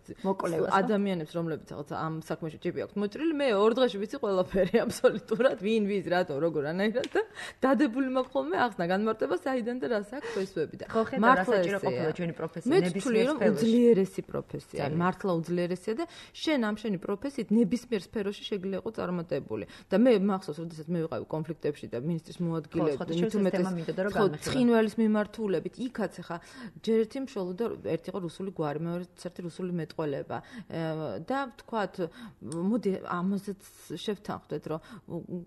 ადამიანებს რომლებიც რაღაც ამ საქმეში ჭიპი აქვს მოჭრილი მე ორ დღეში ვიცი ყველაფერი აბსოლუტურად ვინ ვის რატო როგორ ანაირად და დადებული მაქვს ხოლმე ახსნა განმარტება საიდან და რას აქვს ფესვები და მართლა საჭირო ყოფილა ჩვენი პროფესია ნებისმიერ ეს პროფესია, მართლა უძლიერესია და შენ ამ შენი პროფესიით ნებისმიერ სფეროში შეგიძლია იყო წარმატებული. და მე მახსოვს, როდესაც მე ვიყავი კონფლიქტებში და ministris მოადგილეები, თუმეტეს ცხინვალის მიმართულებით, იქაც ახლა ჯერ ერთი მშოლოდა, ერთი იყო რუსული გვარი, მეორე ერთი რუსული მეტყველება. და თქვათ, მოდი ამაზეც შევთანხმდეთ, რომ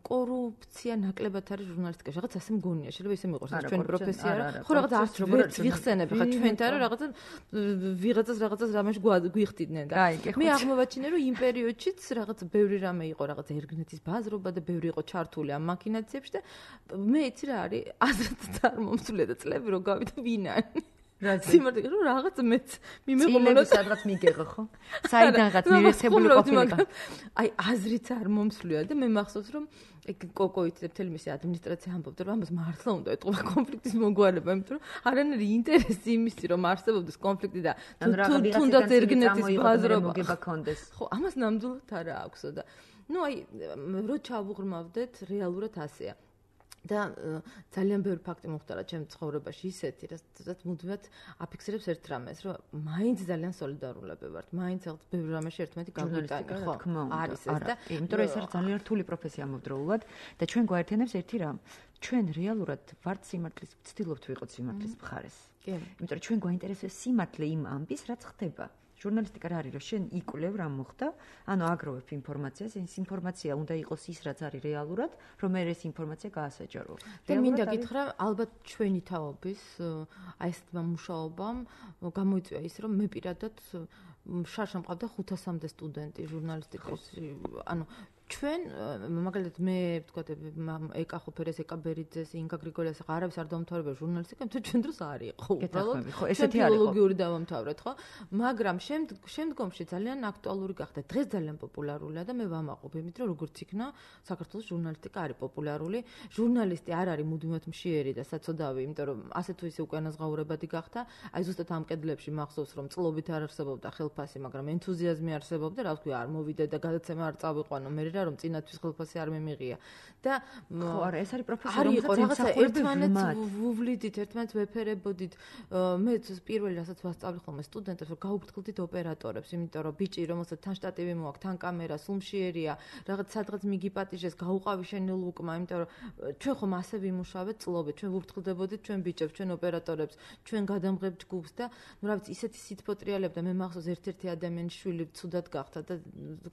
კორუფცია ნაკლებად არის ჟურნალისტიკაში, რაღაც ასე მგონია, შეიძლება ისე მიყვარს ჩვენი პროფესია რა. ხო რაღაც არც ვერც ვიხსენებ, ხა ჩვენთან რომ რაღაცა ვიღაცას რაღაცას რამეში გვიხდიდნენ და მე აღმოვაჩინე რომ იმ პერიოდშიც რაღაც ბევრი რამე იყო რაღაც ერგნეთის ბაზრობა და ბევრი იყო ჩართული ამ მაქინაციებში და მე იცი რა არის აზრით წარმომსვლია და წლები რო გავიდა ვინანი სიმართლე რომ რაღაც მეც მიმეყოლოდა სადღაც მიგეღო ხო საიდანღაც მირეცებული ყოფილიყო აი აზრით არ მომსვლია და მე მახსოვს რომ ეგ კოკოით მთელი მისი ადმინისტრაცია ამბობდა რომ ამას მართლა უნდა ეთყობა კონფლიქტის მოგვარება იმიტომ რომ არანაირი ინტერესი იმისი რომ არსებობდეს კონფლიქტი და თუნდაც ერგნეთის ბაზრობა ხო ამას ნამდვილად არა აქვსო და ნუ აი რო ჩავუღრმავდეთ რეალურად ასეა და ძალიან ბევრი ფაქტი მოხდა ჩემ ცხოვრებაში ისეთი, რასაც მუდმივად აფიქსირებს ერთ რამეს, რომ მაინც ძალიან სოლიდარულები ვართ, მაინც რაღაც ბევრი რამეში ერთმანეთი გაგვიტანი, ხო, არის ეს და იმიტომ რომ ეს არის ძალიან რთული პროფესია ამავდროულად და ჩვენ გვაერთიანებს ერთი რამ, ჩვენ რეალურად ვართ სიმართლის, ვცდილობთ ვიყოთ სიმართლის მხარეს. კი. იმიტომ რომ ჩვენ გვაინტერესებს სიმართლე იმ ამბის, რაც ხდება. ჟურნალისტიკა რა არის, რომ შენ იკვლევ რა მოხდა, ანუ აგროვებ ინფორმაციას, ეს ინფორმაცია უნდა იყოს ის, რაც არის რეალურად, რომ მე ეს ინფორმაცია გაასაჯარო. და მინდა გითხრა, ალბათ ჩვენი თაობის აი ეს მუშაობამ გამოიწვია ის, რომ მე პირადად შარშან მყავდა ხუთასამდე სტუდენტი ჟურნალისტიკაში, ანუ ჩვენ მაგალითად მე ვთქვათ ეკა ხოფერეს, ეკა ბერიძეს, ინგა გრიგოლიას არავის არ დამთავრებია ჟურნალისტიკა, თუმცა ჩვენ დროს არ იყო უბრალოდ. ხო, ესეთი არ იყო. ფილოლოგიური დავამთავრეთ, ხო? მაგრამ შემდგომში ძალიან აქტუალური გახდა. დღეს ძალიან პოპულარულია და მე ვამაყობ იმით, რომ როგორც იქნა საქართველოს ჟურნალისტიკა არის პოპულარული. ჟურნალისტი არ არის მუდმივად მშიერი და საწოდავი, იმიტომ რომ ასე თუ ისე უკანასღაურებადი გახდა. აი ზუსტად ამ კედლებში მახსოვს, რომ წლობით არ არსებობდა ხელფასი, მაგრამ ენთუზიაზმი არსებობდა, რა ვთქვი, არ მოვიდე და გადაცემა არ წავიყვანო. მე რომ წინათვის ხელფასი არ მიმიღია და ხო არა ეს არის პროფესია რომელსაც ერთმანეთს ვუვლიდით ერთმანეთს ვეფერებოდით მე პირველი რასაც ვასწავლი ხოლმე სტუდენტებს რომ გაუფრთხილდით ოპერატორებს იმიტომ რომ ბიჭი რომელსაც თან შტატივი მოაქვს თან კამერა სულმშიერია რაღაც სადღაც მიგიპატიჟეს გაუყავი შენი ლუკმა იმიტომ რომ ჩვენ ხომ ასე ვიმუშავეთ წლობით ჩვენ ვუფრთხილდებოდით ჩვენ ბიჭებს ჩვენ ოპერატორებს ჩვენ გადამღებ ჯგუფს და ნუ რა ვიცი ისეთი სიტყვოტრიალებ და მე მახსოვს ერთ-ერთი ადამიანის შვილი ცუდად გახდა და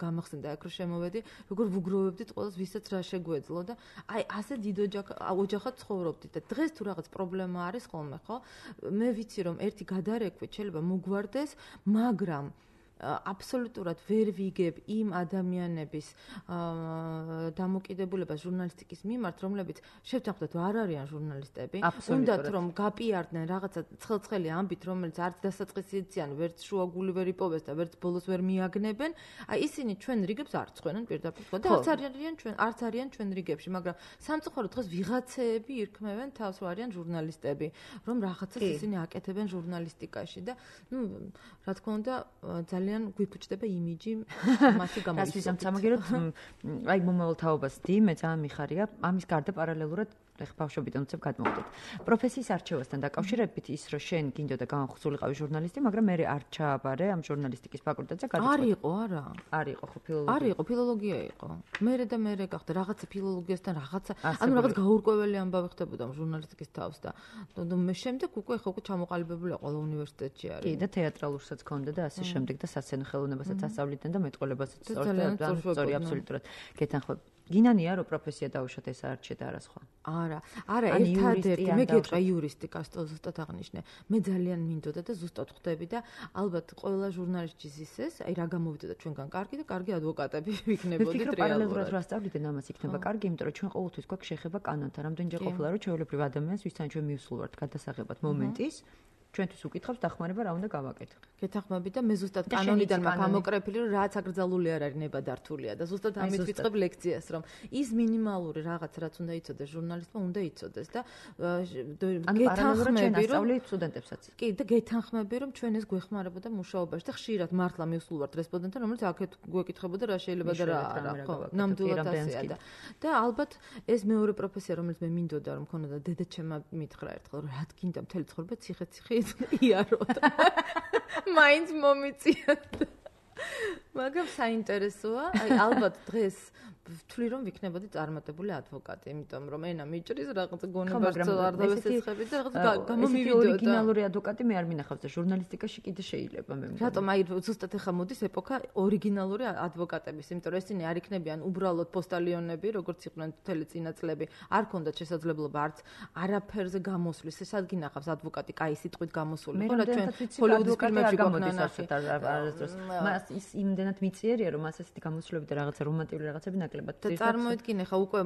გამახსენდა აქ რომ შემოვედი როგორ ვუგროვებდით ყველას ვისაც რა შეგვეძლო და აი ასე დიდ ოჯახად ცხოვრობდით და დღეს თუ რაღაც პრობლემა არის ხოლმე ხო მე ვიცი რომ ერთი გადარეკვით შეიძლება მოგვარდეს მაგრამ აბსოლუტურად ვერ ვიგებ იმ ადამიანების დამოკიდებულებას ჟურნალისტიკის მიმართ, რომლებიც შევთანხმდათ არ არიან ჟურნალისტები, უნდათ რომ გაპიარდნენ რაღაცა ცხელ-ცხელი ამბით, რომელიც არც დასაწყისიციან, ვერც შუაგული ვერ იპოვეს და ვერც ბოლოს ვერ მიაგნებენ, აი ისინი ჩვენ რიგებს არ წვენენ პირდაპირ და არც არიან ჩვენ არც არიან ჩვენ რიგებში, მაგრამ სამწუხაროდ დღეს ვიღაცეები ირქმევენ თავს რომ არიან ჟურნალისტები, რომ რაღაცას ისინი აკეთებენ ჟურნალისტიკაში და ნუ რა თქმა უნდა ძალიან გვიფუჭდება იმიჯი მასი გამოიწვია. რას ვიზამ სამაგეროთ აი მომავალ თაობას დი მე ძალიან მიხარია ამის გარდა პარალელურად ეხ ბავშვობიდან უცებ გადმოვდეთ. პროფესიის არჩევასთან დაკავშირებით ის რომ შენ გინდოდა განხსულიყავი ჟურნალისტი, მაგრამ მე არ ჩააბარე ამ ჟურნალისტიკის ფაკულტეტზე გადაწყვეტა. არ იყო, არა. არ იყო ხო ფილოლოგია. არ იყო, ფილოლოგია იყო. მერე და მერე გახდა რაღაცა ფილოლოგიასთან რაღაცა, ანუ რაღაც გაურკვეველი ამბავი ხდებოდა ჟურნალისტიკის თავს და მე შემდეგ უკვე ხო უკვე ჩამოყალიბებული ყველა უნივერსიტეტში არის. კი და თეატრალურსაც ქონდა და ასე შემდეგ და სასცენო ხელოვნებასაც ასწავლიდნენ და მეტყოლებასაც სწორედ აბსოლუტურად გეთანხმებ. გინანია რომ პროფესია დაუშვათ ეს არჩე და არა სხვა. არა, არა, ერთადერთი მე გეტყვი იურისტიკას ზუსტად აღნიშნე. მე ძალიან მინდოდა და ზუსტად ხვდები და ალბათ ყველა ჟურნალისტის ისეს, აი რა გამოვიდოდა ჩვენგან კარგი და კარგი ადვოკატები ვიქნებოდით რეალურად. პარალელურად რა სწავლიდან ამას იქნება კარგი, იმიტომ რომ ჩვენ ყოველთვის გვაქვს შეხება კანონთან. რამდენჯერ ყოფილა რომ ჩვეულებრივ ადამიანს ვისთან ჩვენ მივსულ ვართ გადასაღებად მომენტის ჩვენთვის უკითხავს დახმარება რა უნდა გავაკეთო. გეთახმები და მე ზუსტად კანონიდან მაქვს ამოკრეფილი რომ რაც აკრძალული არ არის ნებადართულია და ზუსტად ამით ვიწყებ ლექციას რომ ის მინიმალური რაღაც რაც უნდა იცოდეს ჟურნალისტმა უნდა იცოდეს და გეთახმები რომ სტუდენტებსაც. კი და გეთახმები რომ ჩვენ ეს გვეხმარებოდა მუშაობაში და ხშირად მართლა მივსულ ვართ რესპონდენტთან რომელიც აქეთ გვეკითხებოდა რა შეიძლება და რა არა ხო ნამდვილად ასეა და და ალბათ ეს მეორე პროფესია რომელიც მე მინდოდა რომ მქონოდა დედაჩემა მითხრა ერთხელ რომ რა გინდა მთელი ცხოვრება ციხე-ციხე იაროთ. მაინც მომიწიათ. მაგრამ საინტერესოა, აი ალბათ დღეს ვთვლი რომ ვიქნებოდი წარმატებული ადვოკატი, იმიტომ რომ ენა მიჭრის რაღაც გონებას არ დავესეცხები და რაღაც გამომივიდოდა. ორიგინალური ადვოკატი მე არ მინახავს და ჟურნალისტიკაში კიდე შეიძლება მე მგონი. რატომ აი ზუსტად ახლა მოდის ეპოქა ორიგინალური ადვოკატების, იმიტომ რომ ესენი არ იქნებიან უბრალოდ პოსტალიონები, როგორც იყვნენ მთელი წინა წლები, არ ქონდათ შესაძლებლობა არც არაფერზე გამოსვლის, ესად გინახავს ადვოკატი კაი სიტყვით გამოსული, ხო რა ჩვენ ჰოლივუდის ფილმებში გვაქვს ნახე. მას ის იმდენად მიწიერია რომ მას ასეთი გამოსვლები და რაღაცა რომანტიკული რაღაცები ნაკლებად და წარმოიდგინე ხა უკვე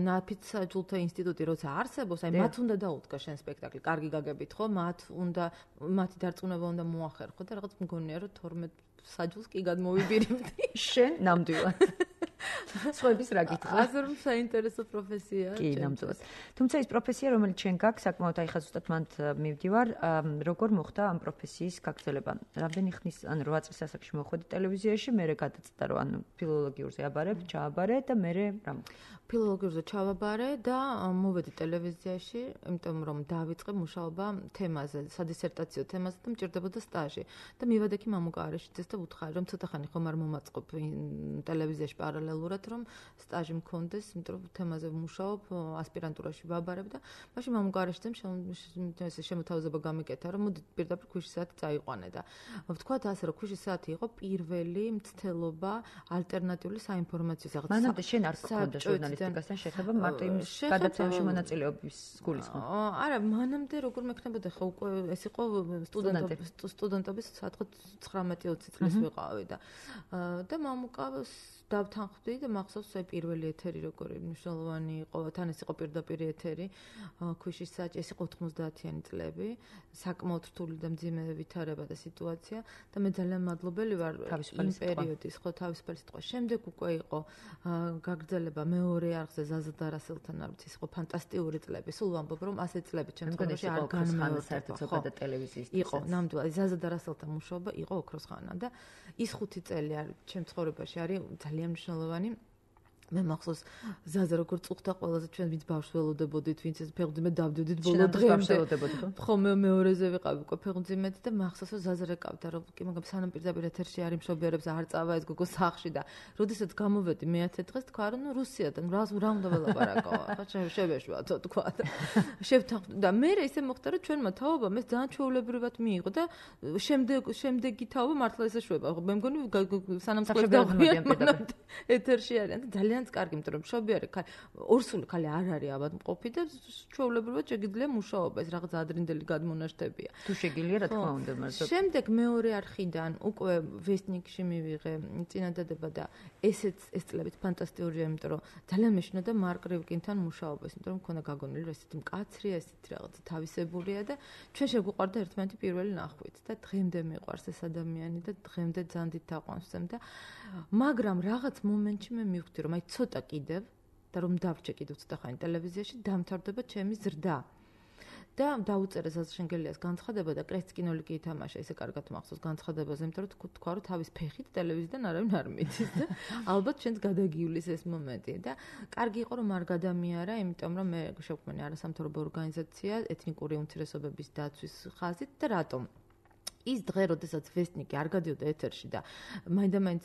ნაფიც ჯულთა ინსტიტუტი როცა არსებობს, აი მათ უნდა დაუდგა შენ სპექტაკლი, კარგი გაგებით ხო, მათ უნდა მათი დარწმუნება უნდა მოახერხო და რაღაც მგონია რომ თორმეტ საჯულს კი გადმოვიბირებდი. შენ ნამდვილად. სხვების რა გითხრა? ასე რომ საინტერესო პროფესიაა. კი, ნამდვილად. თუმცა ის პროფესია, რომელიც შენ გაქვს, საკმაოდ აი ხა ზუსტად მანდ მივდივარ, როგორ მოხდა ამ პროფესიის გაგრძელება? რამდენი ხნის, ანუ რვა წლის ასაკში მოხვედი ტელევიზიაში, მერე გადაწყვეტა რომ ანუ ფილოლოგიურზე აბარებ, ჩააბარე და მერე რა მოხდა? ფილოლოგიურზე ჩავაბარე და მოვედი ტელევიზიაში, იმიტომ რომ დავიწყე მუშაობა თემაზე, სადისერტაციო თემაზე და მჭირდებოდა სტაჟი. და მივედექი მამუკა არეშიძეს და უთხარი რომ ცოტა ხანი ხომ არ მომაწყობ ტელევიზიაში პარალელურად რეალურად რომ სტაჟი მქონდეს, იმიტომ რომ თემაზე ვმუშაობ, ასპირანტურაში ვაბარებ და მაშინ მამუკარეშთან ეს შემოთავაზება გამიკეთა, რომ მოდი პირდაპირ ქვიშის საათი წაიყვანე და ვთქვათ ასე, რომ ქვიშის საათი იყო პირველი მცდელობა ალტერნატიული საინფორმაციო რაღაც. მანამდე შენ არ გქონდა ჟურნალისტიკასთან შეხება, მარტო იმ გადაცემაში მონაწილეობის გულისხმობ. არა, მანამდე როგორ მექნებოდა ხო უკვე ეს იყო სტუდენტობის სტუდენტობის სათხოთ ცხრამეტი ოცი წლის ვიყავი და და მამუკავს დავთანხმდი და მახსოვს აი პირველი ეთერი როგორი მნიშვნელოვანი იყო, თან ეს იყო პირდაპირ ეთერი, ქვიშის საათი, ეს იყო ოთხმოცდაათიანი წლები, საკმაოდ რთული და მძიმე ვითარება და სიტუაცია და მე ძალიან მადლობელი ვარ იმ პერიოდის, ხო, თავისუფალი სიტყვა. შემდეგ უკვე იყო გაგრძელება მეორე არხზე ზაზა დარასელთან არ ვიცი, იყო ფანტასტიკური წლები. სულ ვამბობ რომ ასეთ წლები ჩემ ცხოვრებაში არ განმეორდება და ტელევიზიის იყო ნამდვილად ზაზა დარასელთან მუშაობა იყო ოქროს ხანა და ის ხუთი წელი არის ჩემ ცხოვრებაში არის ძალიან მნიშვნელოვანი. მე მახსოვს ზაზა როგორ წუხდა ყველაზე ჩვენ ვინც ბავშვს ველოდებოდით, ვინც ეს ფეხმძიმედ დავდივდით ბოლო დღემდე. ხო, მე მეორეზე ვიყავი უკვე ფეხმძიმედ და მახსოვს რომ ზაზა რეკავდა რომ კი მაგრამ სანამ პირდაპირ ეთერში არის მშობიარებს არ წავა ეს გოგო სახლში და როდესაც გამოვედი მეათე დღეს თქვა რომ ნუ რუსიადან რა რა უნდა ველაპარაკო. ხა შევეშვათ თქვა და შევთანხმდი და მე ისე მოხდა რომ ჩვენმა თაობამ ეს ძალიან ჩვეულებრივად მიიღო და შემდეგ შემდეგი თაობა მართლა ესე შვება. მე მგონი სანამ წყლებს დავხვიეთ ეთერში არიან და ძალიან კარგი, იმიტომ რომ მშობიარე ხალ ორსული ხალი არ არის ავადმყოფი და ჩვეულებრივად შეგიძლია მუშაობა, ეს რაღაც ადრინდელი გადმონაშთებია. თუ შეგიძლია რა თქმა უნდა, მაგრამ შემდეგ მეორე არხიდან უკვე ვესტნიკში მივიღე წინადადება და ესეც ეს წლებიც ფანტასტიკურია, იმიტომ რომ ძალიან მეშინოდა მარკ რივკინთან მუშაობას, იმიტომ რომ მქონდა გაგონილი რომ ესეთი მკაცრია, ესეთი რაღაც თავისებურია და ჩვენ შეგვიყვარდა ერთმანეთი პირველი ნახვით და დღემდე მიყვარს ეს ადამიანი და დღემდე ძანდით თაყვანს ვცემ და მაგრამ რაღაც მომენტში მე მივხვდი რომ აი ცოტა კიდევ და რომ დავჭე კიდევ ცოტა ხანი ტელევიზიაში დამთავრდება ჩემი ზრდა. და დაუწერე ზაზა შენგელიას განცხადება და კრესკინოლი კი ითამაშა, ესე კარგად მახსოვს განცხადებაზე, იმიტომ რომ თქვა რომ თავის ფეხით ტელევიზიიდან არავინ არ მიდის და ალბათ ჩვენს გადაგიulis ეს მომენტი და კარგი იყო რომ არ გადამიარა, იმიტომ რომ მე შევქმნი არასამთავრობო ორგანიზაცია ეთნიკური უმცირესობების დაცვის ხაზით და რატომ ის დღე, როდესაც ვესტნიკი არ გადიოდა ეთერში და მაინდა-მაინც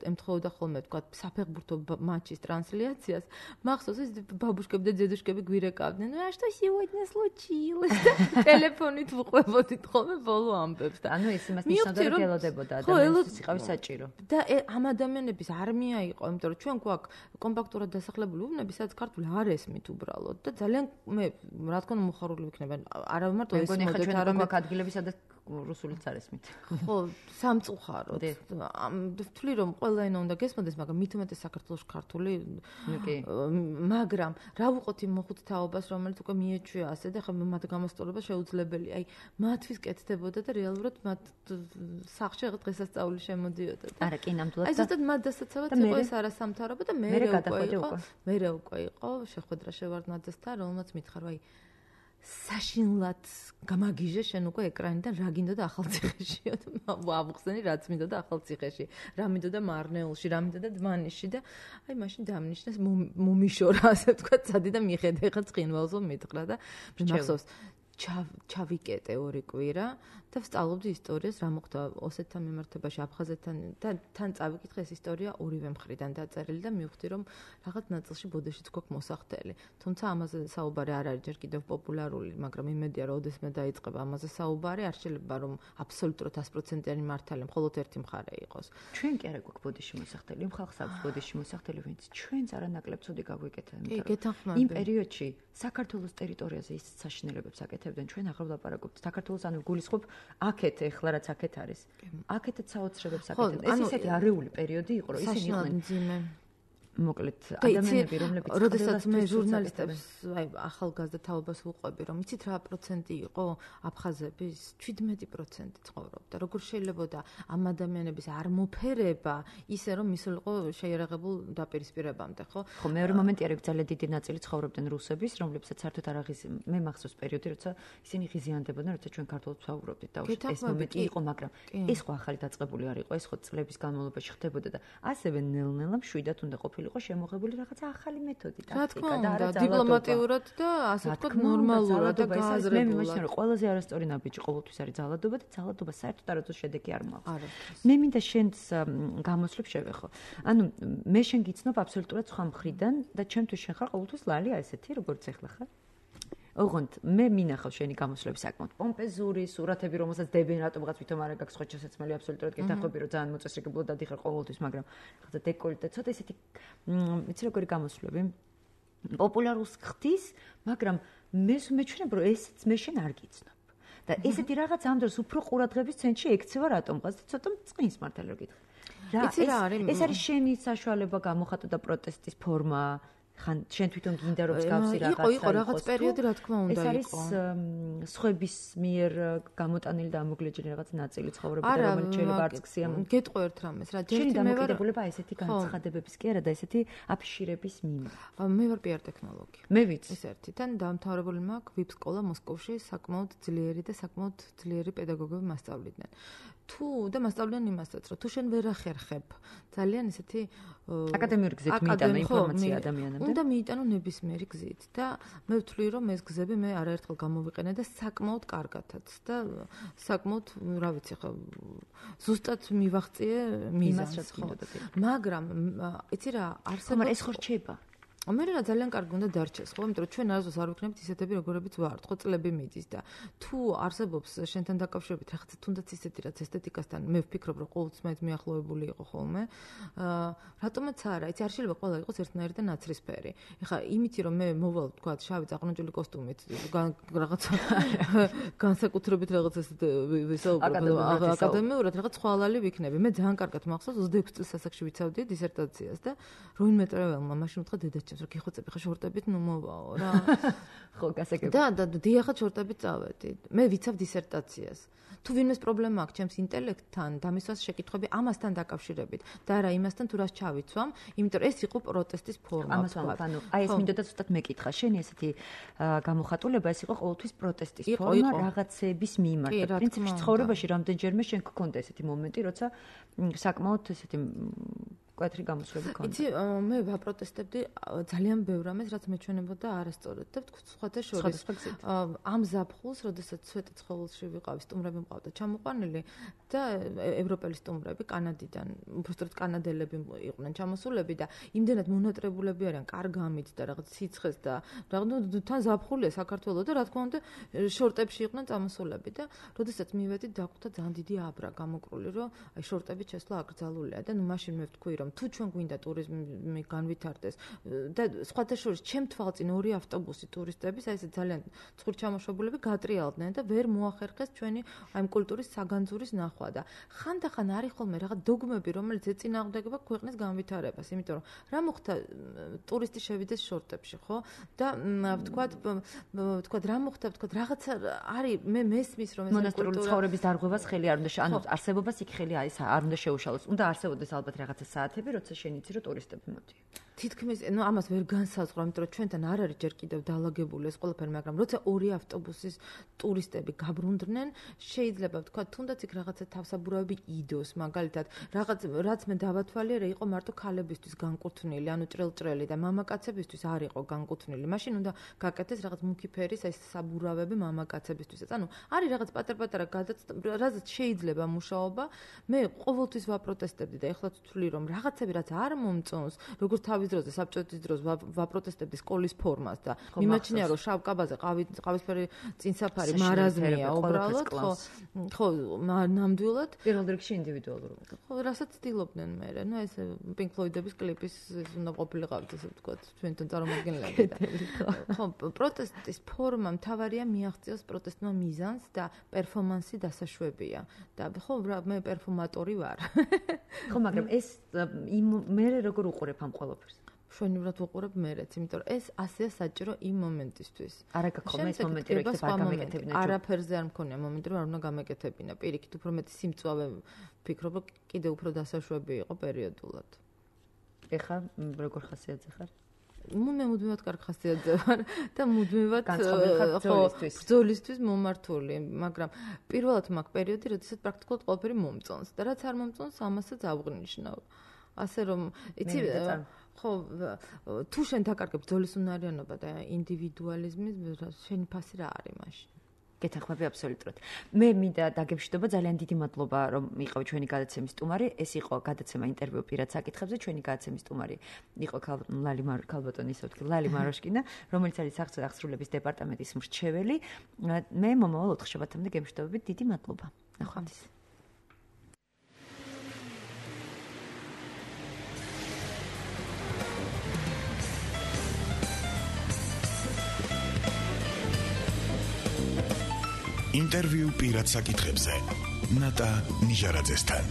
ემთხოვდა ხოლმე თქვა საფეხბურთო მატჩის ტრანსляციას, მახსოვს ეს ბაბუშკები და ძედუშკები გვირეკავდნენ. "Ну, а что сегодня случилось?" ტელეფონით ვუყვებოდით ხოლმე ბოლო ამბებს და ანუ ეს იმას ნიშნავდა რომ ელოდებოდა ადამიანის იყავი საჭირო. და ამ ადამიანების არმია იყო, იმიტომ რომ ჩვენ გვაქვს კომპაქტურად დასახლებული უბნები, სადაც ქართული არ ესმით უბრალოდ და ძალიან მე რა თქმა უნდა მოხარული ვიქნები. არა მარტო ეს მოდეთ, არამედ ადგილები სადაც რუსულიც არ ესმით. ხო, სამწუხაროდ. ვთვლი რომ ყველა ენა უნდა გესმოდეს, მაგრამ მით უმეტეს საქართველოს ქართული. მაგრამ რა ვუყოთ იმ მოხუთ თაობას, რომელიც უკვე მიეჩვია ასე და ხა მათ გამოსწორება შეუძლებელია. აი, მათთვის კეთდებოდა და რეალურად მათ სახლში რაღაც დღესასწაული შემოდიოდა. არა, კი ნამდვილად. აი, ზუსტად მათ დასაცავად იყო ეს არასამთავრობო და მე უკვე იყო. მე უკვე იყო შეხვედრა შევარდნაძესთან, რომელმაც მითხარ, აი საშინლად გამაგიჟე შენ უკვე ეკრანიდან რა გინდოდა ახალციხეშიო და ვავხსენი რაც მინდოდა ახალციხეში, რა მინდოდა მარნეულში, რა მინდოდა დმანიში და აი მაშინ დამნიშნეს მომიშორა ასე ვთქვათ, სადი და მიხედე ხა ცხინვალზო მითხრა და მახსოვს ჩავიკეტე ორი კვირა და ვსწავლობდი ისტორიას, რა მოხდა ოსეთთან მიმართებაში, აფხაზეთთან და თან წავიკითხე ეს ისტორია ორივე მხრიდან დაწერილი და მივხვდი რომ რაღაც ნაწილში ბოდეშიც გვაქვს მოსახდელი. თუმცა ამაზე საუბარი არ არის ჯერ კიდევ პოპულარული, მაგრამ იმედია რომ ოდესმე დაიწყება ამაზე საუბარი, არ შეიძლება რომ აბსოლუტურად sto procent-იანი მართალი მხოლოდ ერთი მხარე იყოს. ჩვენ კი არა გვაქვს ბოდეში მოსახდელი, იმ ხალხს აქვს ბოდეში მოსახდელი, ვინც ჩვენც არანაკლებ ცუდი გაგვიკეთა. იმ პერიოდში საქართველოს ტერიტორიაზე ის საშინელებებს აკეთებდნენ, ჩვენ აღარ ვლაპარაკობთ საქართველოს, ანუ გულისხმობ აქეთ ეხლა რაც აქეთ არის. აქეთაც საოცრებებს აკეთებდნენ. ეს ისეთი არეული პერიოდი იყო, რომ ისინი იყვნენ მოკლედ ადამიანები, რომლებიც როდესაც მე ჟურნალისტებს, აი ახალგაზრდა თაობას ვუყვები, რომ იცით რა პროცენტი იყო აფხაზების, შვიდმეტი პროცენტი ცხოვრობდა. როგორ შეიძლება და ამ ადამიანების არ მოფერება ისე რომ მისულიყო შეიარაღებულ დაპირისპირებამდე, ხო? ხო, მეორე მომენტი არის ძალიან დიდი ნაწილი ცხოვრობდნენ რუსების, რომლებსაც საერთოდ არ აღიზ მე მახსოვს პერიოდი, როცა ისინი ღიზიანდებოდნენ, როცა ჩვენ ქართულად ვსაუბრობდით და ეს მომენტი იყო, მაგრამ ეს ხო ახალი დაწყებული არ იყო, ეს ხო წლების განმავლობაში ხდებოდა და ასევე ნელ-ნელა მშვიდად უნდა ყოფილიყო იყო შემოღებული რაღაცა ახალი მეთოდი, ტაქტიკა და არა დიპლომატიურად და ასე ვთქვათ ნორმალურად და გააზრებულად. მე მიმაჩნია რომ ყველაზე არასწორი ნაბიჯი ყოველთვის არის ძალადობა და ძალადობა საერთოდ არასდროს შედეგი არ მაქვს. მე მინდა შენს გამოსვლებს შევეხო. ანუ მე შენ გიცნობ აბსოლუტურად სხვა მხრიდან და ჩემთვის შენ ხარ ყოველთვის ლალი ასეთი როგორც ეხლა ხარ. ოღონდ მე მინახავ შენი გამოსვლები საკმაოდ პომპეზური სურათები რომელსაც დებენ რატომღაც ვითომ არ აქვს ხო შესაძლებელი აბსოლუტურად გეთანხმები რომ ძალიან მოწესრიგებლად დადიხარ ყოველთვის მაგრამ რაღაცა დეკოლტე ცოტა ისეთი იცი როგორი გამოსვლები პოპულარულს ხდის მაგრამ მე მეჩვენებ რომ ესეც მე შენ არ გიცნობ და ესეთი რაღაც ამ დროს უფრო ყურადღების ცენტრში ექცევა რატომღაც და ცოტა წყნის მართალი რომ გითხრა რა ეს არის შენი საშუალება გამოხატო და პროტესტის ფორმა ხან შენ თვითონ გინდა რომ მსგავსი რაღაცა იყო იყო რაღაც პერიოდი რა თქმა უნდა იყო ეს არის სხვების მიერ გამოტანილი და ამოგლეჯილი რაღაც ნაწილი ცხოვრებიდან რომელიც შეიძლება არც გსია გეტყვი ერთ რამეს რა ჯერ მე ვარ დამოკიდებულება ესეთი განცხადებების კი არა და ესეთი აფიშირების მიმართ მე ვარ პიარ ტექნოლოგი მე ვიცი ეს ერთიდან დამთავრებული მაქვს ვიპ სკოლა მოსკოვში საკმაოდ ძლიერი და საკმაოდ ძლიერი პედაგოგები მასწავლიდნენ თუ და მასწავლიან იმასაც რომ თუ შენ ვერ ახერხებ ძალიან ესეთი აკადემიური გზით მიიტანო ინფორმაცია ადამიანებთან უნდა მიიტანო ნებისმიერი გზით და მე ვთვლი რომ ეს გზები მე არაერთხელ გამოვიყენე და საკმაოდ კარგათაც და საკმაოდ რა ვიცი ხო ზუსტად მივაღწიე მიზანს ხო მაგრამ იცი რა არსებობს ეს ხო რჩება მე რა ძალიან კარგი უნდა დარჩეს ხო იმიტომ რომ ჩვენ არასდროს არ ვიქნებით ისეთები როგორებიც ვართ ხო წლები მიდის და თუ არსებობს შენთან დაკავშირებით რაღაცა თუნდაც ისეთი რაც ესთეტიკასთან მე ვფიქრობ რომ ყოველთვის მაინც მიახლოებული იყო ხოლმე რატომაც არა იცი არ შეიძლება ყველა იყოს ერთნაირი და ნაცრისფერი ეხლა იმითი რომ მე მოვალ თქვა შავი წაყნოჭული კოსტუმით რაღაცა განსაკუთრებით რაღაც ესეთ ვისაუბრებ აკადემიურად რაღაც ხვალალი ვიქნები მე ძალიან კარგად მახსოვს ოცდაექვსი წლის ასაკში ვიცავდი დისერტაციას და როინმე ტრეველმა მაშინ უთხრა დედას რომ გიხოცები ხა შორტებით ნუ მოვაო რა ხო გასაგები და და დიახაც შორტებით წავედი მე ვიცავ დისერტაციას თუ ვინმეს პრობლემა აქვს ჩემს ინტელექტთან და მისვას შეკითხვები ამასთან დაკავშირებით და არა იმასთან თუ რას ჩავიცვამ იმიტომ რომ ეს იყო პროტესტის ფორმა ამას ვამბობ ანუ აი ეს მინდოდა ზუსტად მეკითხა შენი ესეთი გამოხატულება ეს იყო ყოველთვის პროტესტის ფორმა რაღაცების მიმართ პრინციპში ცხოვრებაში რამდენჯერმე შენ გქონდა ესეთი მომენტი როცა საკმაოდ ესეთი კვეთრი გამოსვლები ქონდა. იცი, მე ვაპროტესტებდი ძალიან ბევრ რამეს, რაც მეჩვენებოდა არასწორად და ვთქვი სხვათა შორის. ამ ზაფხულს, როდესაც სვეტი ცხოველში ვიყავი, სტუმრები მყავდა ჩამოყვანილი და ევროპელი სტუმრები კანადიდან, უბრალოდ კანადელები იყვნენ ჩამოსულები და იმდენად მონატრებულები არიან კარგამით და რაღაც სიცხეს და რაღაც თან ზაფხულია საქართველოს და რა თქმა უნდა შორტებში იყვნენ წამოსულები და როდესაც მივედი დაგვხვდა ძალიან დიდი აბრა გამოკრული, რომ აი შორტებით შესვლა აკრძალულია და ნუ მაშინ მე ვთქვი რომ თუ ჩვენ გვინდა ტურიზმი განვითარდეს და სხვათა შორის ჩემ თვალწინ ორი ავტობუსი ტურისტების აი ეს ძალიან ცხურ ჩამოშობულები გატრიალდნენ და ვერ მოახერხეს ჩვენი აი კულტურის საგანძურის ნახვა და ხანდახან არის ხოლმე რაღაც დოგმები რომელიც ეწინააღმდეგება ქვეყნის განვითარებას იმიტომ რომ რა მოხდა ტურისტი შევიდეს შორტებში ხო და ვთქვათ ვთქვათ რა მოხდა ვთქვათ რაღაცა არის მე მესმის რომ ეს მონასტრული ცხოვრების დარღვევას ხელი არ უნდა ანუ არსებობას იქ ხელი არ უნდა შეუშალოს უნდა არსებობდეს ალბათ რაღაცა საათები როცა შენ იცი რომ ტურისტები მოდიან თითქმის ნუ ამას ვერ განსაზღვრა იმიტომ რომ ჩვენთან არ არის ჯერ კიდევ დაალაგებული ეს ყველაფერი მაგრამ როცა ორი ავტობუსის ტურისტები გაბრუნდნენ შეიძლება ვთქვა თუნდაც იქ რაღაცა თავსაბურავები იდოს მაგალითად რაღაც რაც მე დავათვალე რა იყო მარტო ქალებისთვის განკუთვნილი ანუ ჭრელჭრელი და მამაკაცებისთვის არ იყო განკუთვნილი მაშინ უნდა გაკეთდეს რაღაც მუქი ფერის ეს საბურავები მამაკაცებისთვისაც ანუ არის რაღაც პატარ-პატარა გადაცემა რაც შეიძლება მუშაობა მე ყოველთვის ვაპროტესტებდი და ეხლაც ვთვლი რომ რაღაცები რაც არ მომწონს როგორც თავის დროზე საბჭოთა დროს ვაპროტესტებდი სკოლის ფორმას და მიმაჩნია რომ შავ კაბაზე ყავისფერი წინსაფარი მარაზმია უბრალოდ ხო ხო ნამდვილად პირველ რიგში ინდივიდუალურად ხო რასაც ცდილობდნენ მე ნუ ეს პინკ ფლოიდების კლიპის უნდა ყოფილიყავთ ესე ვთქვათ ჩვენთან წარმომადგენლები და ხო პროტესტის ფორმა მთავარია მიაღწიოს პროტესტმა მიზანს და პერფორმანსი დასაშვებია და ხო მე პერფორმატორი ვარ ხო მაგრამ ეს მე როგორ უყურებ ამ ყველაფერს შვენივრად ვუყურებ მერეც, იმიტომ რომ ეს ასეა საჭირო იმ მომენტისთვის. არა გქონდა ეს მომენტი, რომ იქნება არ გამეკეთებინა. არაფერზე არ მქონია მომენტი, რომ არ უნდა გამეკეთებინა. პირიქით, უფრო მეტი სიმწვავე ვფიქრობ, რომ კიდე უფრო დასაშვები იყო პერიოდულად. ეხა როგორ ხასიათზე ხარ? მე მუდმივად კარგ ხასიათზე ვარ და მუდმივად ხო ბრძოლისთვის მომართული, მაგრამ პირველად მაქვს პერიოდი, როდესაც პრაქტიკულად ყველაფერი მომწონს და რაც არ მომწონს, ამასაც ავღნიშნავ. ასე რომ იცი ხო, თუ შენ დაკარგებ ბრძოლის უნარიანობა და ინდივიდუალიზმი, შენი ფასი რა არის მაშინ? გეთანხმები აბსოლუტურად. მე მინდა დაგემშვიდობა, ძალიან დიდი მადლობა, რომ იყავი ჩვენი გადაცემის სტუმარი. ეს იყო გადაცემა ინტერვიუ პირად საკითხებზე. ჩვენი გადაცემის სტუმარი იყო ლალი ქალბატონი, ისე ვთქვი, ლალი მაროშკინა, რომელიც არის სახსრებო აღსრულების დეპარტამენტის მრჩეველი. მე მომავალ ოთხ შაბათამდე გემშვიდობებით, დიდი მადლობა. ნახვამდის. ინტერვიუ პირად საკითხებზე ნატა ნიჟარაძესთან.